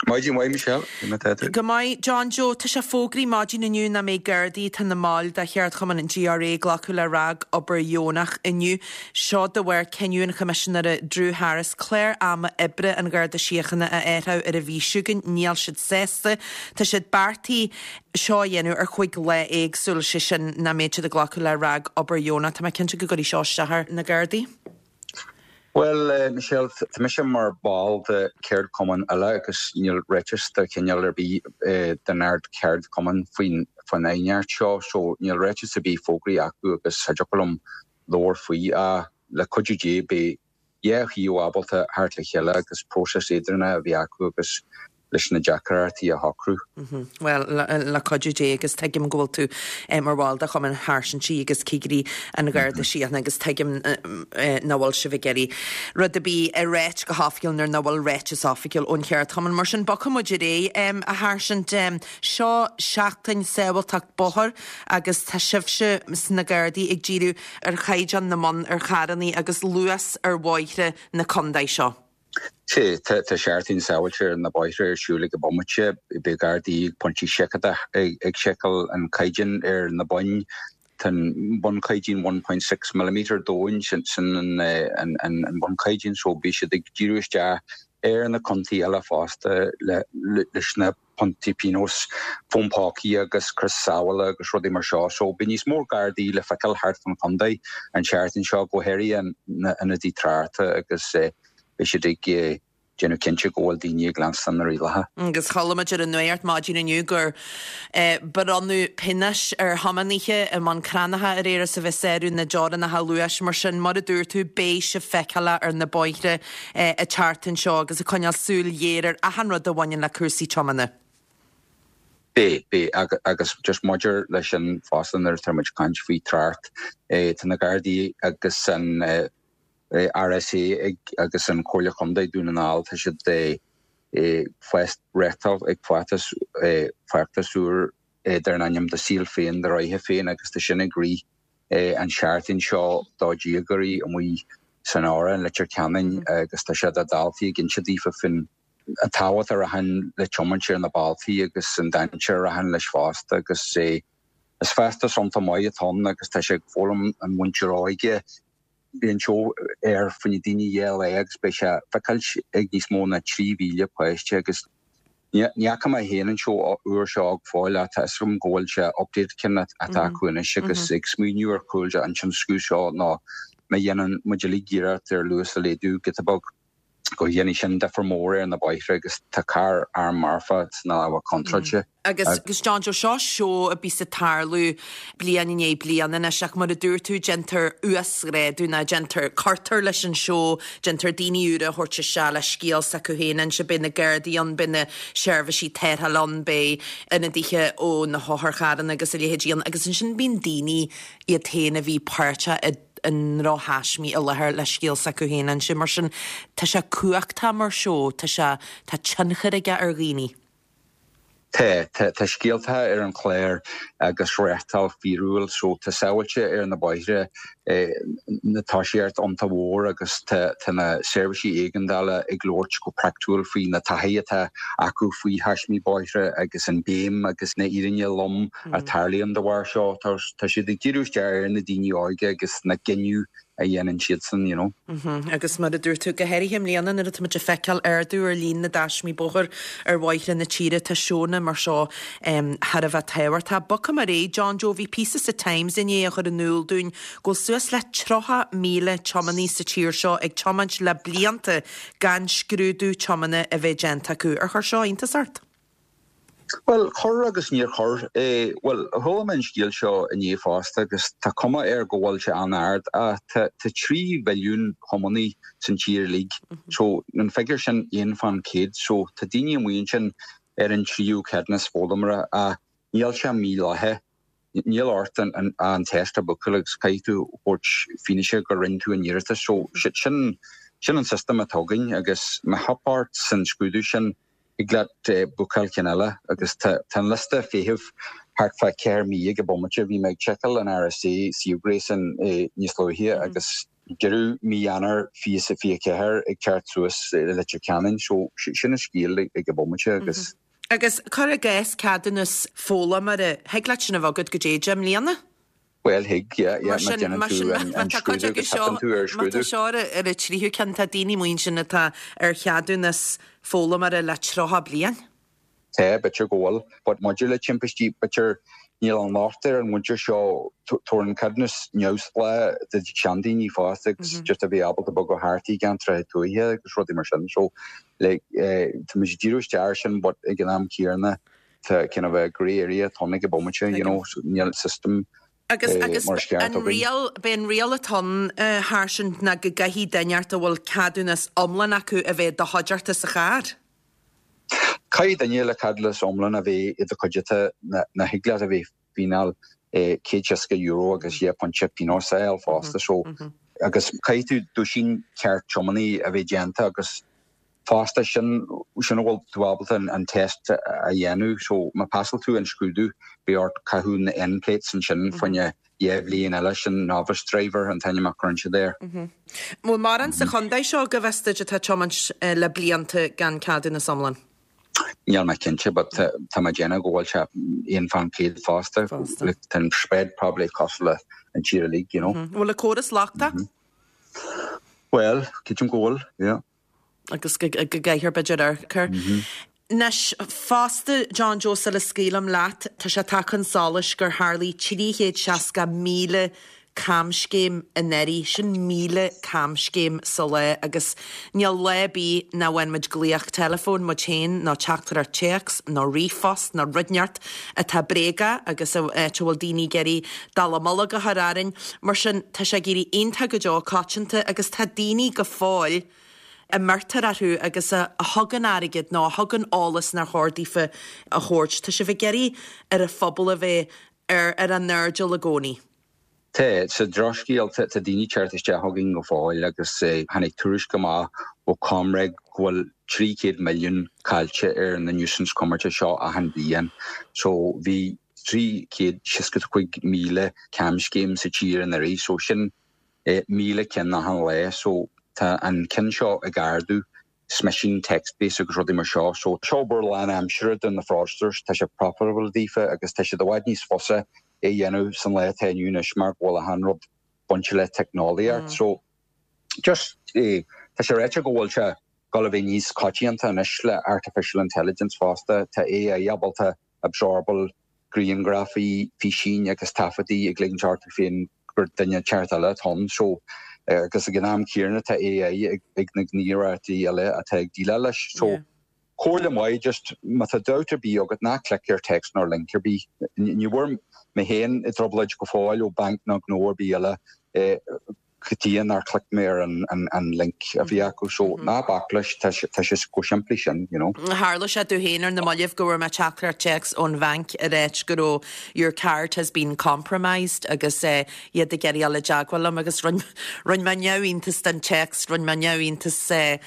Maidin mhaith Michelle, cén chaoi atá tú? Go maith, John Joe. Tá sé fógraithe maidin inniu nach mbeidh Gardaí atá ina mbaill de cheardchumann an GRA ag glacadh le ragobair dheonach inniu. Seo de bharr cinneadh an Choimisinéara Drew Harris clár ama oibre an Gharda Síochána a athrú ar an mhí seo chugainn. Níl siad sásta. Tá siad beartaithe seo a dhéanamh ar chúig lá éagsúil, sé sin nach mbeidh siad ag glacadh le ragobair dheonach. Tá mé cinnte go gcuirfidh seo isteach ar na Gardaí. Bhuel, Michelle, tá mise mar ball de cheardchumann eile agus níl ráiteas de chineál ar bith den ard-cheardchumann faoin faoin aighneacht seo, so níl ráiteas ar bith fógraithe acu agus cha dtiocfadh liom labhairt faoi. Ach le cuidiú Dé beidh dhá thaobh ábalta theacht le chéile agus próiseas eadrána a bheith acu agus leis na deacrachtaí a shocrú. Bhuel, le cuidiú Dé, agus tuigim go bhfuil tú mar bhall de Chumann Sháirsintí agus Cigirí an Gharda Síochána agus tuigim nach bhfuil sibh ag iarraidh rud ar bith a ráit go hoifigiúil nuair nach bhfuil ráiteas oifigiúil ón cheardchumann. Mar sin, bogfaidh muid ar aghaidh, a Sháirsint. Seo seachtain sábháilteacht bóthair agus tá sibhse sna Gardaí ag díriú ar chaighdeán na mbonn ar charrannaí agus luas ar bhóithre na contae seo. Sea, tá Seachtain Sábháilte ar na Bóithre ar siúl ag an bomaite. Beidh Gardaí ag pointí seiceála ag seiceáil an caighdeán ar na boinn. Tá an bunchaighdeán 1.6 millimetre domhain, sin an bunchaighdeán, so beidh siad ag díriú isteach ar na contaetha eile fosta leis na pointí pionóis, fón pócaí agus crios sábhála agus rudaí mar seo. So beidh níos mó Gardaí le feiceáil thart fán chontae an tseachtain seo, go háirithe na ionadaí tráchta agus beidh siad ag déanamh cinnte go bhfuil daoine ag leanstan na rialacha. Agus chuala muid ar an nuacht maidin inniu gur bronnadh pionóis ar thiománaithe i mBun Cranncha aréir as a bheith ag sárú na dteorainneacha luais. Mar sin, mar a dúirt tú, beidh sibh feiceálach ar na bóithre an tseachtain seo agus ag coinneáil súil ghéar ar achan rud a bhaineann le cúrsaí tiomána. Beidh, beidh. Agus just maidir leis sin fosta nuair atá muid ag caint faoi trácht, tá na Gardaí agus an RSA ag agus an Chomhairle Chontae Dún na nGall, tá siad ag reáchtáil ag feachtas, feachtas úr dar ainm Do Saol Féin, Do Rogha Féin agus tá sin ag rith an seachtain seo do dhéagóirí amuigh san Aura in Leitir Ceanainn agus tá sé do dhaltaí ag inse daofa faoin an tábhacht a rachann le tiomáint ar na bealtaí agus an dainséar a rachann leis fosta agus is feachtas iontach maith atá ann agus tá sé ag foghlaim an mhuintir óige Bhí an seó ar fá choinne daoine dhá lá agus beidh sé feiceáilt ag níos mó ná 3,000 páiste agus ní fhaca mé féin an seó úr seo go fóill ach tá fhios agam go bhfuil sé updated ceann atá acu anois agus ag smaoineamh ar chúl de an tionscnamh seo ná má dhéanann muid uilig iarracht ar luas a laghdú giota beag go dhéanfaidh sin difear mór ar na bóithre agus tá carr arm marfach sna lámha contráilte. Agus John Joe, seo seó a bíos ag tarlú bliain i ndiaidh bliana anois ach mar a dúirt tú déantar uasghrádú nó déantar, cuirtear leis an seó, déantar daoine úra a thabhairt isteach le scéal s'acu féin a inse, beidh na Gardaí ann, beidh na seirbhísí tarrthála ann, beidh ionadaithe ó na hotharcharranna agus a leithéidí ann agus ansin bíonn daoine iad féin a bhí páirteach i i ndrochthaismí i láthair le scéal s'acu féin a inse. Mar sin, tá sé cumhachtach mar seó, tá sé, tá tionchar aige ar dhaoine. Tá, tá, tá scéalta ar an chlár agus reáchtáil fíorúil so tá sábháilte ar na bóithre na tosaíocht iontach mhór agus tá, tá na seirbhísí éigeandála ag labhairt go praiticiúil faoi na taithí atá acu faoi thaismí bóithre agus an béim agus na fhírinne lom a tarlaíonn de bharr seo. Tá siad ag díriú isteach ar na daoine óige agus na gcinneadh a dhéanann siadsan, you know. Agus mar a dúirt tú, go háirithe i mbliana nuair atá muid ag feiceáil ardú ar líon na dtaismí bóthair ar bhóithre na tíre, tá seónna mar seo thar a bheith tábhachtach. Bogfaidh mé ar aghaidh, John Joe, bhí píosa sa Times inné a chuir in iúl dúinn go bhfuil suas le 30,000 tiománaí sa tír seo ag tiomáint le blianta gan scrúdú tiomána a bheith déanta acu. Ar chuir seo iontas ort? Bhuel, chuir agus níor chuir. Bhuel, chuala mé an scéal seo inné fosta agus tá cuma air go bhfuil sé an-ard. Tá 3 mhilliún thiománaí san tír uilig, so an figiúr sin 1 fán chéad, so tá daoine amuigh ansin ar an tríú ceadúnas foghlaimeora ach níl sé mídhleathach. Níl ort an test a bhookáil agus caithfidh tú thabhairt fianaise go rinne tú an iarratas. So sin sin an system atá againn agus má theip ort san scrúdú sin thig leat bookáil ceann eile agus tá an liosta feithimh thart fá 4 mí ag an bomaite. Bhí mé ag seiceáil an RSA suíomh gréasáin níos luaithe agus deireadh mí Eanáir 2024 ag teacht suas i Leitir Ceanainn. So sin an scéal ag an bomaite agus. Agus cuir i gcás ceadúnas foghlaimeora, thig leat sin a bheith agat go dtí 10 mbliana? Bhuel, thig, yeah, yeah, má dhéanann tú an scrúdú agus teipeann tú ar an scrúdú. Má tá seo ar an tríú ceann, tá daoine amuigh ansin atá ar cheadúnas foghlaimeora le 30 bliain. Tá, b'fhéidir go bhfuil. But maidir le timpistí, b'fhéidir níl an locht ar an mhuintir seo, tabhair an ceadúnas neamhspleách do sheandaoine fosta agus just a bheith ábalta bogadh thart i gceantracha tuaithe agus rudaí mar sin. So, like, tá muid ag díriú isteach ar sin but ag an am céanna, Tá kind of a grey area atá ann ag an bomaite, you know, so níl system Agus, agus mar is ceart an againn. riail, b'é an riail atá ann a Sháirsint ná go gcaithfidh duine inteacht a bhfuil ceadúnas iomlán acu a bheith i do chuideachta sa charr. Caithfidh duine le ceadúnas iomlán a bheith i do chuideachta nó thig leat a bheith fíneáil €160 agus 2 phointe pionós a fháil fosta so agus caithfidh tú duaisín ceart tiománaí a bheith déanta agus Fosta, sin sin a bhfuil tú ábalta an test a dhéanamh. So má phasáil tú an scrúdú, beidh ort caitheamh na N-plates ansin fá choinne 2 bhliain eile, sin novice driver an t-ainm a chuireann siad air. Bhfuil mórán sa chontae seo, go bhfios duit, atá ag tiomáint le blianta gan ceadúnas iomlán? Níl mé cinnte, but tá mé ag déanamh go bhfuil sé 1 fán chéad fosta. Like, tá an spread probably cosúil le an tír uilig, you know. Bhfuil an córas lochtach? Bhuel, creidim go bhfuil, yeah. agus go gcaithfear b'fhéidir amharc air. Anois, fosta, John Joe, sula scaoilim leat, tá sé tagtha chun solais gur tharlaigh 360,000 camscéim anuraidh, sin 1,000 camscéim sa lá agus níl lá ar bith nach bhfaigheann muid glaoch teileafóin muid féin nó teachtaireacht téacs nó ríomhphost nó rud inteacht atá bréagach agus áit a bhfuil daoine ag iarraidh dallamullóg a chur orainn. Mar sin, tá sé ag éirí iontach go deo coitianta agus tá daoine go fóill a mbeirtear orthu agus a thugann airgead nó a thugann eolas nár chóir daofa a thabhairt. Tá sibh ag iarraidh ar an phobal a bheith ar ar a n-airdeall i gcónaí. Tá. Sa drochscéal, tá daoine ag teacht isteach chugainn go fóill agus tháinig tuairisc amach ó ComReg go bhfuil 300 milliún caillte ar na nuisance cumarsáide seo achan bhliain. So bhí 365,000 camscéim sa tír anuraidh, so sin 1,000 ceann achan lá. So tá an ceann seo ag ardú, smishing, text based agus rudaí mar seo. So seo obair lán-aimsire do na fraudsters, tá sé profitable daofa agus tá siad i bhfad níos fusa é a dhéanamh san lá atá inniu anois mar go bhfuil achan rud bainte le teicneolaíocht. So just tá sé ráite go bhfuil sé dul a bheith níos coitianta anois le artificial intelligence fosta. Tá AI ábalta absorbáil grianghrafaí, físín agus taifeadtaí ag ligint orthu féin gur duine ceart eile atá ann. So agus ag an am céanna tá AI ag na gníomhaireachtaí eile atá ag déileáil leis. So comhairle maith just má tá dabht ar bith agat ná click ar text nó link ar bith. Ní bhfuair mé féin i dtrioblóid go fóill ó banc nó gnó ar bith eile go dtí nár chlic mé ar an link a bhí acu so ná bac leis, tá sé chomh simplí sin, you know. Tharla sé domh féin ar na mallaibh go bhfuair mé teachtaireacht téacs ón bhanc ag ráit go raibh your card has been compromised agus iad ag iarraidh dul i dteagmháil liom agus rinne mé neamhiontas den téacs, rinne mé neamhiontas de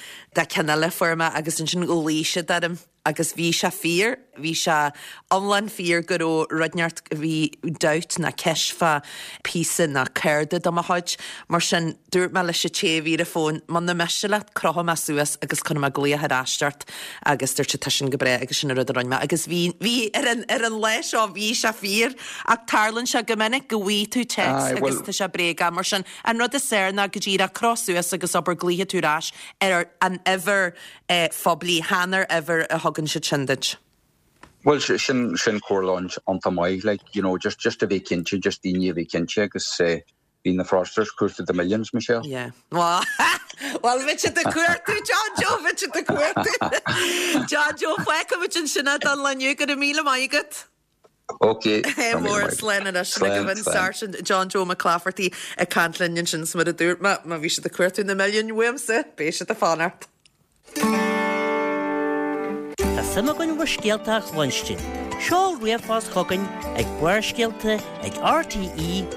ceann eile a fuair mé agus ansin ghlaoigh siad orm. Agus bhí sé fíor, bhí sé iomlán fíor go raibh rud inteacht, bhí dabht ná ceist fá píosa ná cárta de mo chuid. Mar sin, dúirt mé leis an té a bhí ar an bhfón, muna miste leat, crochfaidh mé suas agus cuirfidh mé glaoch ar ais ort. Agus dúirt sé, tá sin go breá agus sin an rud a rinne mé. Agus bhí, bhí, ar an, ar an lá seo, bhí sé fíor. Ach tarlaíonn sé go minic go bhfaighidh tú téacs agus tá sé bréagach. Mar sin, an rud is fearr ná go díreach croch suas agus abair glaofaidh tú ar ais ar an uimhir phoiblí, chan ar uimhir a thugann siad sin duit. Bhuel, sin, sin comhairle iontach maith, like, you know, just, just a bheith cinnte, just daoine a bheith cinnte agus eh, bhí na fraudsters cúrsa the millions, Michelle. Yeah. Well, Bhuel, bheadh siad ag cuartú, John Joe, bheadh siad ag cuartú. John Joe, fágfaimid ansin é don lá inniu, go raibh míle maith agat. Ok. Mór slán anois sin agaibh an Sáirsint John Joe Mac Laifeartaigh ag caint linn ansin 's mar a dúirt mé, má bhí siad ag cuartú na milliúin uaimse, beidh siad ag fanacht. Tá suim againn bhur scéalta a chluinstin. Seol ríomhphost chugainn ag Barrscéalta ag rte.ie.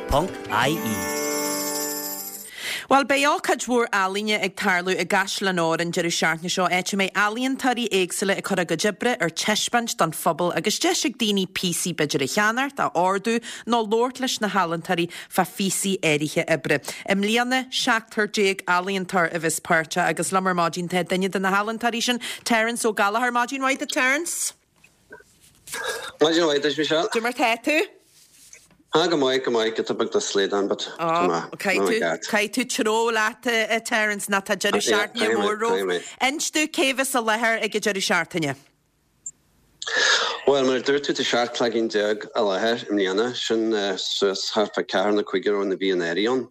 Bhuel, beidh ócáid mhór ealaíne ag tarlú i gCaisleán Óir an deireadh seachtaine seo, áit a mbeidh ealaíontóirí éagsúla ag cur a gcuid oibre ar taispeáint don phobal agus deis ag daoine píosaí b'fhéidir a cheannacht, a ordú nó labhairt leis na healaíontóirí fá phíosaí áirithe oibre. I mbliana, seachtar déag ealaíontóir a bheas páirteach agus liom ar maidin tá duine de na healaíontóirí sin, Terence Ó Gallchóir. Maidin mhaith duit, Terence. Maidin mhaith duit, Michelle. Cad é mar tá tú? Ah, go maith, go maith, giota beag de slaghdán, but tá mé, tá mé ceart. Caithfidh tú treo leat, a Terence, nó tá deireadh seachtaine mór romhat. Inis domh cé bheas i láthair ag an deireadh seachtaine. Bhuel, mar a dúirt tú, tá 17 cloigeann i láthair i mbliana, sin suas thart fá ceathair nó cúigear ó na bhí anuraidh ann.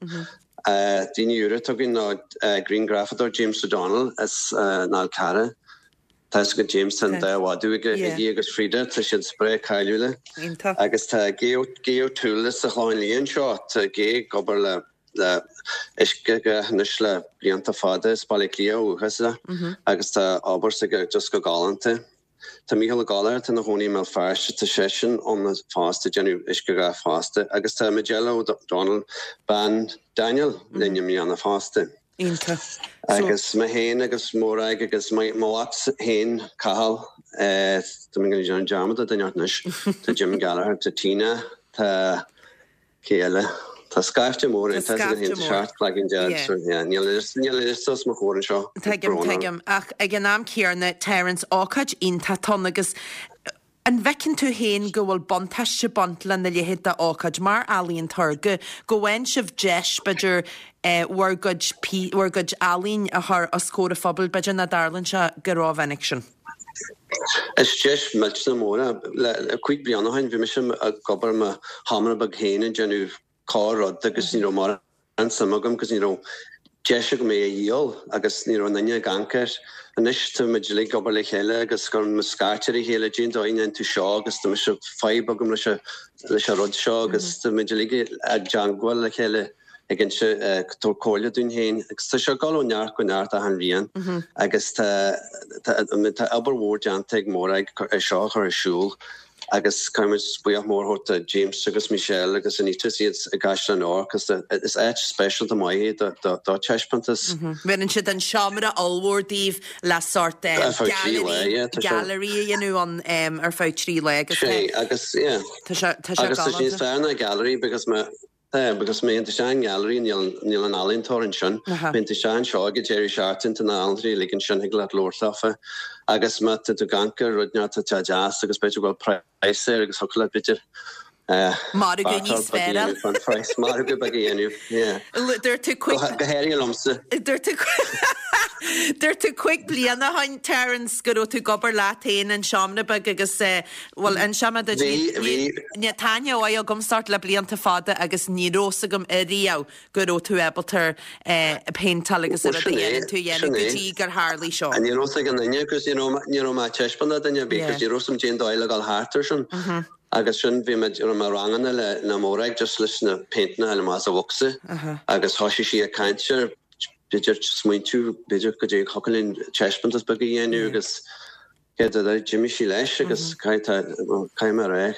Daoine úra atá againn ná grianghrafadóir James O'Donnell as an Fhál Carrach. Tá fhios agat James, tá an dá mhadadh aige, Iggy agus Frida, tá siad breá cáiliúla. Agus tá Gay O'Toole as an Chlochán Liath anseo, tá Gay ag obair le le uiscedhath anois le blianta fada, as Baile Átha Cliath ó dhúchas é agus tá obair s'aige just go galánta. Tá Mícheál Ó Gallchóir atá ina chónaí i mBéal Feirste, tá seisean ann fosta ag déanamh uiscedhath fosta agus tá Majella O'Donnell, bean Daniel, linn i mbliana fosta. Iontach. Agus mé féin agus Morag agus mo mhac féin, Cathal, tá mé ag déanamh dearmad de duine anois, tá Jim Gallagher, tá Tina, tá. Cé eile? Tá scaifte mór ann, tá scaifte mór. 17 cloigeann so yeah, níl a liosta os mo chomhair anseo. Tuigim, tuigim. Ach ag an am céanna, Terence, ócáid iontach atá ann agus an bhfeiceann tú féin go bhfuil buntáiste ag baint lena leithéid de ócáid mar ealaíontóir, go go bhfaigheann sibh deis, b'fhéidir, bhur gcuid, bhur gcuid ealaín a chur os comhair an phobail, b'fhéidir nach dtarlaíonn sé go rómhinic sin? Is deis millteanach mór é. Le cúig bliana ó shin bhí mise ag obair i mo sheomra beag féin ag déanamh corr rud agus ní raibh mórán suim agam agus ní raibh deis agam é a dhíol agus ní raibh aon duine ag amharc air. Anois tá muid uilig ag obair le chéile agus cuireann muid scairt ar a chéile, cén dóigh a ndéanann tú seo agus tá mise fadhb agam leis leis an rud seo agus tá muid uilig ag teagmháil le chéile. ag inse, ag tabhairt comhairle dúinn féin agus tá sé ag dul ó neart go neart achan bhliain agus tá tá tá obair mhór déanta ag Morag é seo a chur ar siúl agus caithfidh muid buíochas mór a thabhairt do James agus Michelle agus Anita is iad i gCaisleán Óir cos is áit speisialta maith é do do do taispeántas. Bheireann siad an seomra ollmhór daoibh le sórt gallery gallery a dhéanamh ann ar feadh trí lá agus tá Sé agus yeah tá sé tá sé agus tá sé níos fearr ná gallery because má Tá, because má théann tú isteach i ngallery, níl, níl an ealaíontóir ansin. Má théann tú isteach anseo ag an deireadh seachtaine, tá na healaíontóirí uilig ansin, thig leat labhairt leofa. Agus má tá tú ag amharc ar rud inteacht atá deas agus b'fhéidir go bhfuil praghas air agus thiocfadh leat b'fhéidir eh, Margadh níos beag a fearr. dhéanamh fán phraghas, margadh beag a dhéanamh, yeah. Dúirt tú Go, go háirithe liomsa. Dúirt tú Dúirt tú cúig bliana ó shin, Terence, go raibh tú ag obair leat féin in seomra beag agus eh, Bhuel, inseoidh mé duit, Bhí, bhí. ní, tá aithne mhaith agam ort le blianta fada agus ní raibh fhios agam ariamh go raibh tú ábalta péinteáil agus an Bhuel, rud a sin é, dhéanann tú a dhéanamh sin go é. dtí gur tharlaigh seo. Ní raibh fhios ag aon duine agus ní raibh, ní raibh mé ag taispeáint do dhuine ar bith Yeah. cos ní raibh fhios agam cén dóigh le dhul thart ar sin. Agus sin, bhí mé, raibh mé i ranganna le, le Morag just leis na péinteanna a fháil amach as an bhocsa agus thoisigh sí ag caint ar, b'fhéidir, smaointiú, b'fhéidir go dté, thiocfadh linn taispeántas beag a dhéanamh agus, Céard a deir, d'imigh sí leis agus caithfidh mé a rá,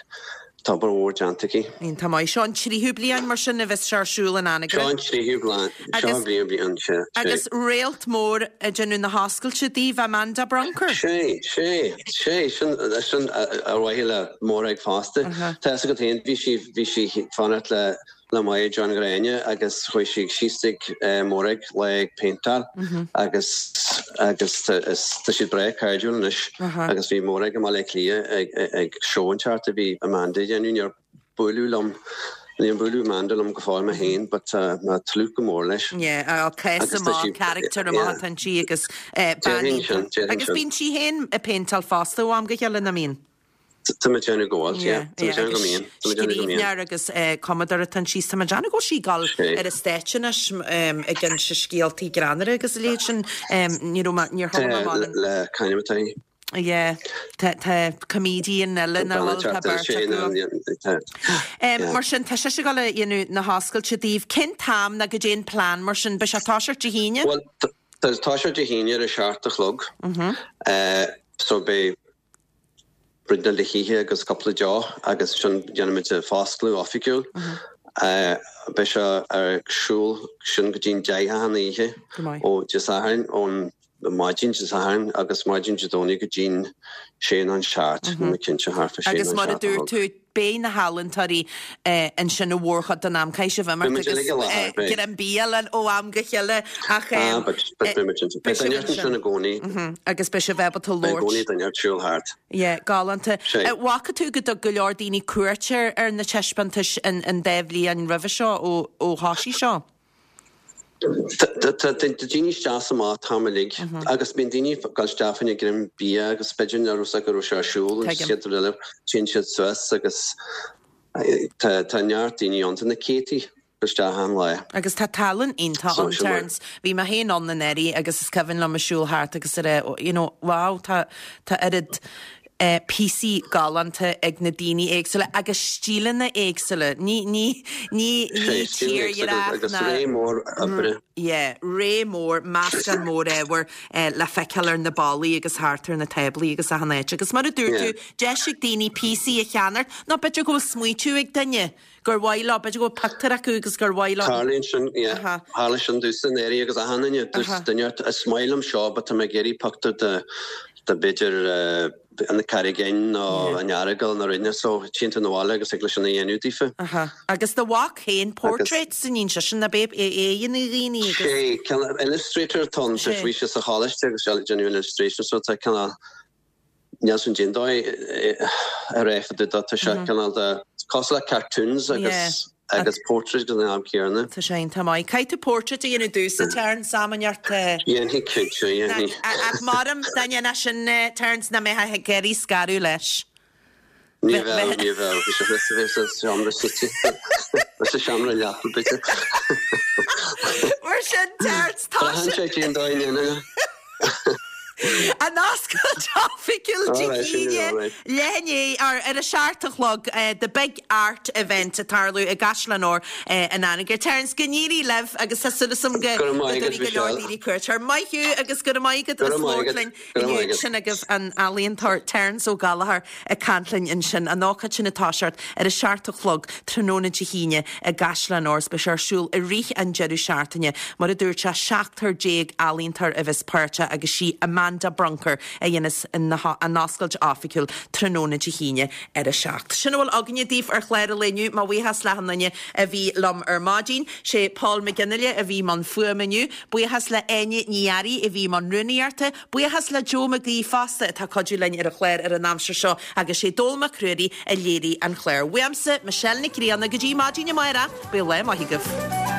tá obair mhór déanta aici. Iontach maith. Seo an tríú bliain mar sin a bheas sé ar siúl in Anagaire. Seo an tríú bliain, seo an tríú bliain, sea, sea. Agus réalt mór ag déanamh na hoscailte daoibh, Amanda Brunker. Sea, sea, sea, sin, sin ar mhaithe le Morag fosta. Tá fhios agat féin, bhí sí, bhí sí ag fanacht le le Máire John Ghráinne agus chuaigh sí síos tigh Morag le ag péinteáil agus agus tá siad breá cairdiúil anois agus bhí Morag i mBaile Átha Cliath ag ag seó inteacht a bhí Amanda a dhéanamh níor buaileadh liom níor buaileadh Amanda liom go fóill mé féin but tá mé ag tnúth go mór leis. Yeah, cás amach, character amach atá inti agus bean iontach. Agus bíonn sí féin ag péinteáil fosta ó am go chéile, nach mbíonn? Tá mé ag déanamh go bhfuil, yeah. Tá mé ag déanamh go mbíonn. Tá mé ag déanamh go mbíonn. Scríbhneoir agus cumadóir atá ansin. Tá mé ag déanamh go bhfuil sí ag dul ar an stáitse anois ag inse scéaltaí greannmhara agus a leithéid sin. Ní raibh mé, níor chuala mé mórán. Le c'ainm atá í? Yeah. Tá, tá comedian eile nach bhfuil, tá beirt acu. Mar sin, tá sise ag dul a dhéanamh na hoscailte daoibh. Cén t-am ná goidé an plean mar sin? Beidh sé ag toiseacht Dé hAoine? Bhuel, tá toiseacht Dé hAoine ar a seacht a chlog. So beidh bruideadh le hithe agus cúpla deoch agus ansin déanfaimid an foscladh oifigiúil. Beidh sé ar siúl sin go dtí'n 10 achan oíche ó Dé Sathairn, ón maidin Dé Sathairn agus maidin Dé Domhnaigh go dtí'n sé nó an seacht, níl mé cinnte, thart fá sé nó Agus an mar a seacht a dúirt chlog. tú, beidh na healaíontóirí ansin an mhórchuid den am. Caithfidh sibh imeacht agus greim bia a fháil ó am go chéile ach beidh sibh ansin i gcónaí. Agus beidh sibh ábalta labhairt. Beidh i gcónaí duine ag siúl thart. Yeah, galánta. Bhfaca tú go dtug go leor daoine cuairt ar na taispeántais an dá bhliain roimhe seo ó thoisigh seo? Tá daoine isteach is amach an t-am uilig agus bíonn daoine ag dul isteach fá choinne greim bia agus b'fhéidir nach raibh 's acu go raibh sé ar siúl an chéad rud eile téann siad suas agus tá neart daoine ann, tá na céadtaí isteach achan lá. Agus tá tallann iontach ann, Terence. Bhí mé féin ann anuraidh agus is cuimhin liom ag siúl thart agus ag rá you know wow tá tá oiread píosaí galánta ag na daoine éagsúla agus stíleanna éagsúla. Ní, ní, ní, ní tírdhreach Agus ná. ré mór oibre. Yeah, ré mór, meascán mór ábhair le feiceáil ar na ballaí agus thart ar na táblaí agus achan áit. Agus mar a dúirt tú, deis ag daoine píosaí a cheannacht nó b'fhéidir go bhfuil smaoitiú ag duine gur mhaith leo, b'fhéidir go bhfuil pictiúr acu agus gur mhaith leo. Tarlaíonn sin, yeah. Tharla sin domhsa anuraidh agus achan duine, dúirt duine ort, is maith liom seo but tá mé ag iarraidh pictiúr de, de b'fhéidir na Carraig Fhinn nó an Earagail nó rud inteacht so téann tú 'na bhaile agus thig leis sin a dhéanamh daofa. Aha. Agus do mhac féin, portraits san fhoinse sin, ab é é a dhéanadh dhaoine agus. Sé, cineál illustrator atá ann, bhí sé sa choláiste agus ag déanamh illustration so tá cineál, Níl sin déan dóigh a réifeadh do tá sé cineál de cosúil le cartoons agus agus portraits ag an am céanna. Tá sé iontach maith. Caithfidh tú portrait a dhéanamh domhsa, Terence, am inteacht. Dhéanfaidh cinnte, dhéanfaidh. Ach maram dá ndéanfá sin, Terence, nach mbeifeá ag iarraidh scaradh leis. Ní bheadh, ní bheadh. Bhí sé thuas a bheith sa seomra suite. Sa seomra leapa, b'fhéidir. Mar sin, Terence, tá sé. Braitheann sé cén dóigh a ndéanann é. An oscailt oifigiúil Dé hAoine, leath i ndiaidh, ar ar a seacht a chlog, The Big Art Event ag tarlú i gCaisleán Óir in Anagaire. Terence, go n-éirí libh agus tá súil agam go dtabharfaidh go leor daoine cuairt air. Maith thú agus go raibh maith agat as labhairt linn. Inniu, sin agaibh an t-ealaíontóir Terence Ó Gallchóir ag caint linn ansin. An ócáid sin ag toiseacht ar a seacht a chlog tráthnóna Dé hAoine i gCaisleán Óir. Beidh sé ar siúl i rith an deireadh seachtaine. Mar a dúirt sé, seachtar déag ealaíontóir a bheas páirteach agus sí Amanda Brunker a dhéanas an oscailt oifigiúil tráthnóna Dé hAoine ar a seacht. Sin a bhfuil againne daoibh ar chlár an lae inniu. Mo bhuíochas le achan duine a bhí liom ar maidin. Sé Paul McGinley a bhí i mbun fuaime inniu. Buíochas le Áine Ní Fhearraigh a bhí i mbun rúnaíochta. Buíochas le Joe Mac Aoidh fosta atá ag cuidiú linn ar an chlár ar an aimsir seo agus sé Dónall Mac Ruairí a léirigh an clár. Uaimse, Michelle Nic Grianna, go dtí maidin amárach, bíodh lá maith agaibh.